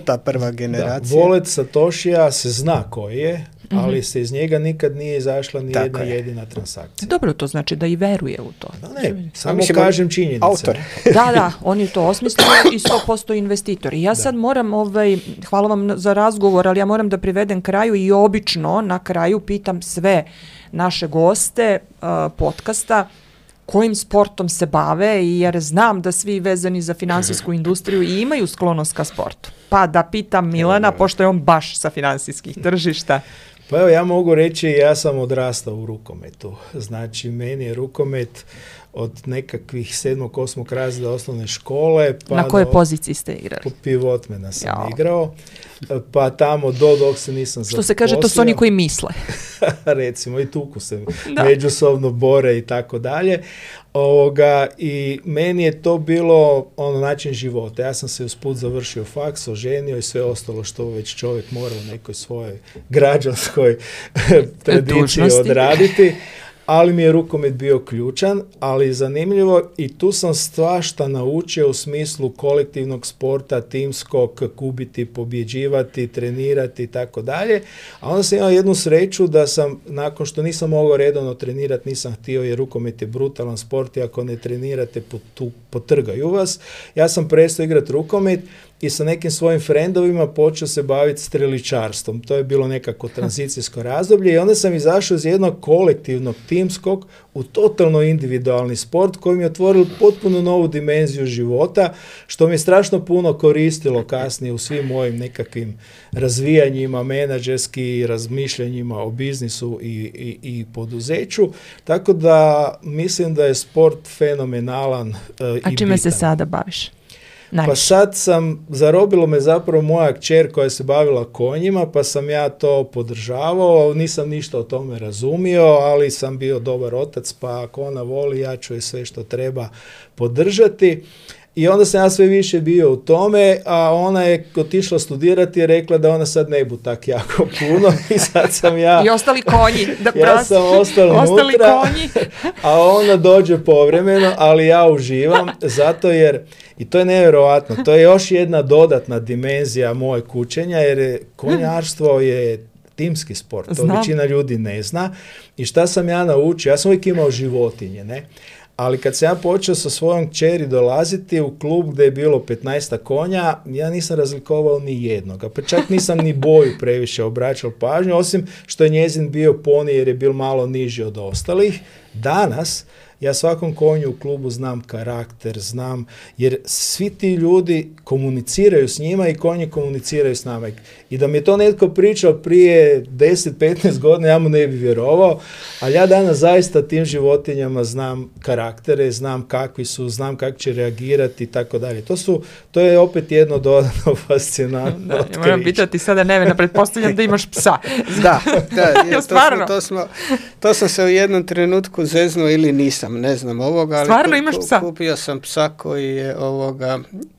ta prva generacija. Wallet Satoshija se zna koji je ali se iz njega nikad nije izašla ni jedna jedina transakcija. Dobro, to znači da i veruje u to. Ne, samo kažem činjenice. Autor. Da, on je to osmislio i 100% investitor. I ja sad moram, hvala vam za razgovor, ali ja moram da privedem kraju i obično na kraju pitam sve naše goste podcasta kojim sportom se bave, jer znam da svi vezani za finansijsku industriju i imaju sklonost ka sportu. Pa da pitam Milana, pošto je on baš sa finansijskih tržišta. Pa evo, ja mogu reći, ja sam odrastao u rukometu. Znači, meni je rukomet od nekakvih 7. 8. razreda osnovne škole. Pa na kojoj poziciji ste igrali? Pivotmena sam igrao. Pa tamo dok se nisam zaposlio. Što se kaže, to su oni koji misle. Recimo, i tuku se međusobno bore i tako dalje. I meni je to bilo način života. Ja sam se usput završio faks, oženio i sve ostalo što već čovjek mora u nekoj svojoj građanskoj tradiciji odraditi. Ali mi je rukomet bio ključan, ali zanimljivo i tu sam svašta naučio u smislu kolektivnog sporta, timskog, kubiti, pobjeđivati, trenirati i tako dalje. A onda sam imao jednu sreću da sam, nakon što nisam mogao redovno trenirati, nisam htio jer rukomet je brutalan sport i ako ne trenirate potrgaju vas. Ja sam prestao igrati rukomet i sa nekim svojim frendovima počeo se baviti streličarstvom. To je bilo nekako tranzicijsko razdoblje i onda sam izašao iz jednog kolektivnog, timskog, u totalno individualni sport koji mi je otvorio potpuno novu dimenziju života, što mi je strašno puno koristilo kasnije u svim mojim nekakvim razvijanjima, menadžerski razmišljanjima o biznisu i poduzeću. Tako da mislim da je sport fenomenalan i bitan. A čime se sada baviš? Pa sad zarobilo me zapravo moja kćer koja se bavila konjima, pa sam ja to podržavao, nisam ništa o tome razumio, ali sam bio dobar otac, pa ako ona voli, ja ću je sve što treba podržati. I onda sam ja sve više bio u tome, a ona je otišla studirati i rekla da ona sad ne bu tak jako puno i sad sam ja... I ostali konji. Ja sam ostao unutra, a ona dođe povremeno, ali ja uživam zato jer, i to je nevjerojatno, to je još jedna dodatna dimenzija moje kućenja jer konjarstvo je timski sport, to većina ljudi ne zna. I šta sam ja naučio? Ja sam uvijek imao životinje, ne? Ali kad sam ja počeo sa svojom kćeri dolaziti u klub gdje je bilo 15 konja, ja nisam razlikovao ni jednoga. Pa čak nisam ni boju previše obraćao pažnju, osim što je njezin bio poni jer je bil malo niži od ostalih. Danas ja svakom konju u klubu znam karakter, znam, jer svi ti ljudi komuniciraju s njima i konji komuniciraju s nama. I da mi je to netko pričao prije 10-15 godina, ja mu ne bi vjerovao, ali ja danas zaista tim životinjama znam karaktere, znam kakvi su, znam kako će reagirati i tako dalje. To je opet jedno dodatno fascinantno otkriće. Moram pitati sada Nevena, pretpostavljam da imaš psa. Da, to sam se u jednom trenutku zeznuo ili nisam. Ne znam ovoga, ali stvarno imaš psa? Kupio sam psa koji je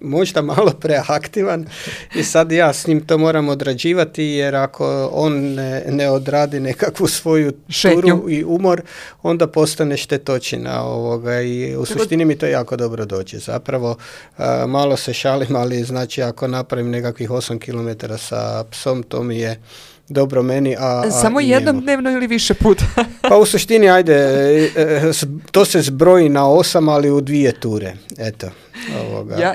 možda malo preaktivan i sad ja s njim to moram odrađivati jer ako on ne odradi nekakvu svoju turu i umor, onda postane štetočina i u suštini mi to jako dobro dođe. Zapravo malo se šalim, ali znači ako napravim nekakvih 8 km sa psom, to mi je dobro meni, samo jednom dnevno ili više puta? Pa u suštini, to se zbroji na 8, ali u 2 ture. Eto.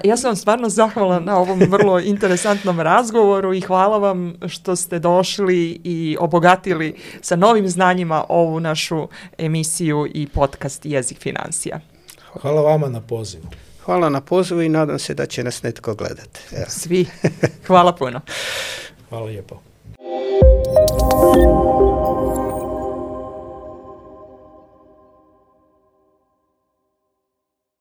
Ja sam vam stvarno zahvalna na ovom vrlo interesantnom razgovoru i hvala vam što ste došli i obogatili sa novim znanjima ovu našu emisiju i podcast Jezik financija. Hvala vama na pozivu. Hvala na pozivu i nadam se da će nas netko gledati. Evo. Svi. Hvala puno. Hvala lijepo. Thank you.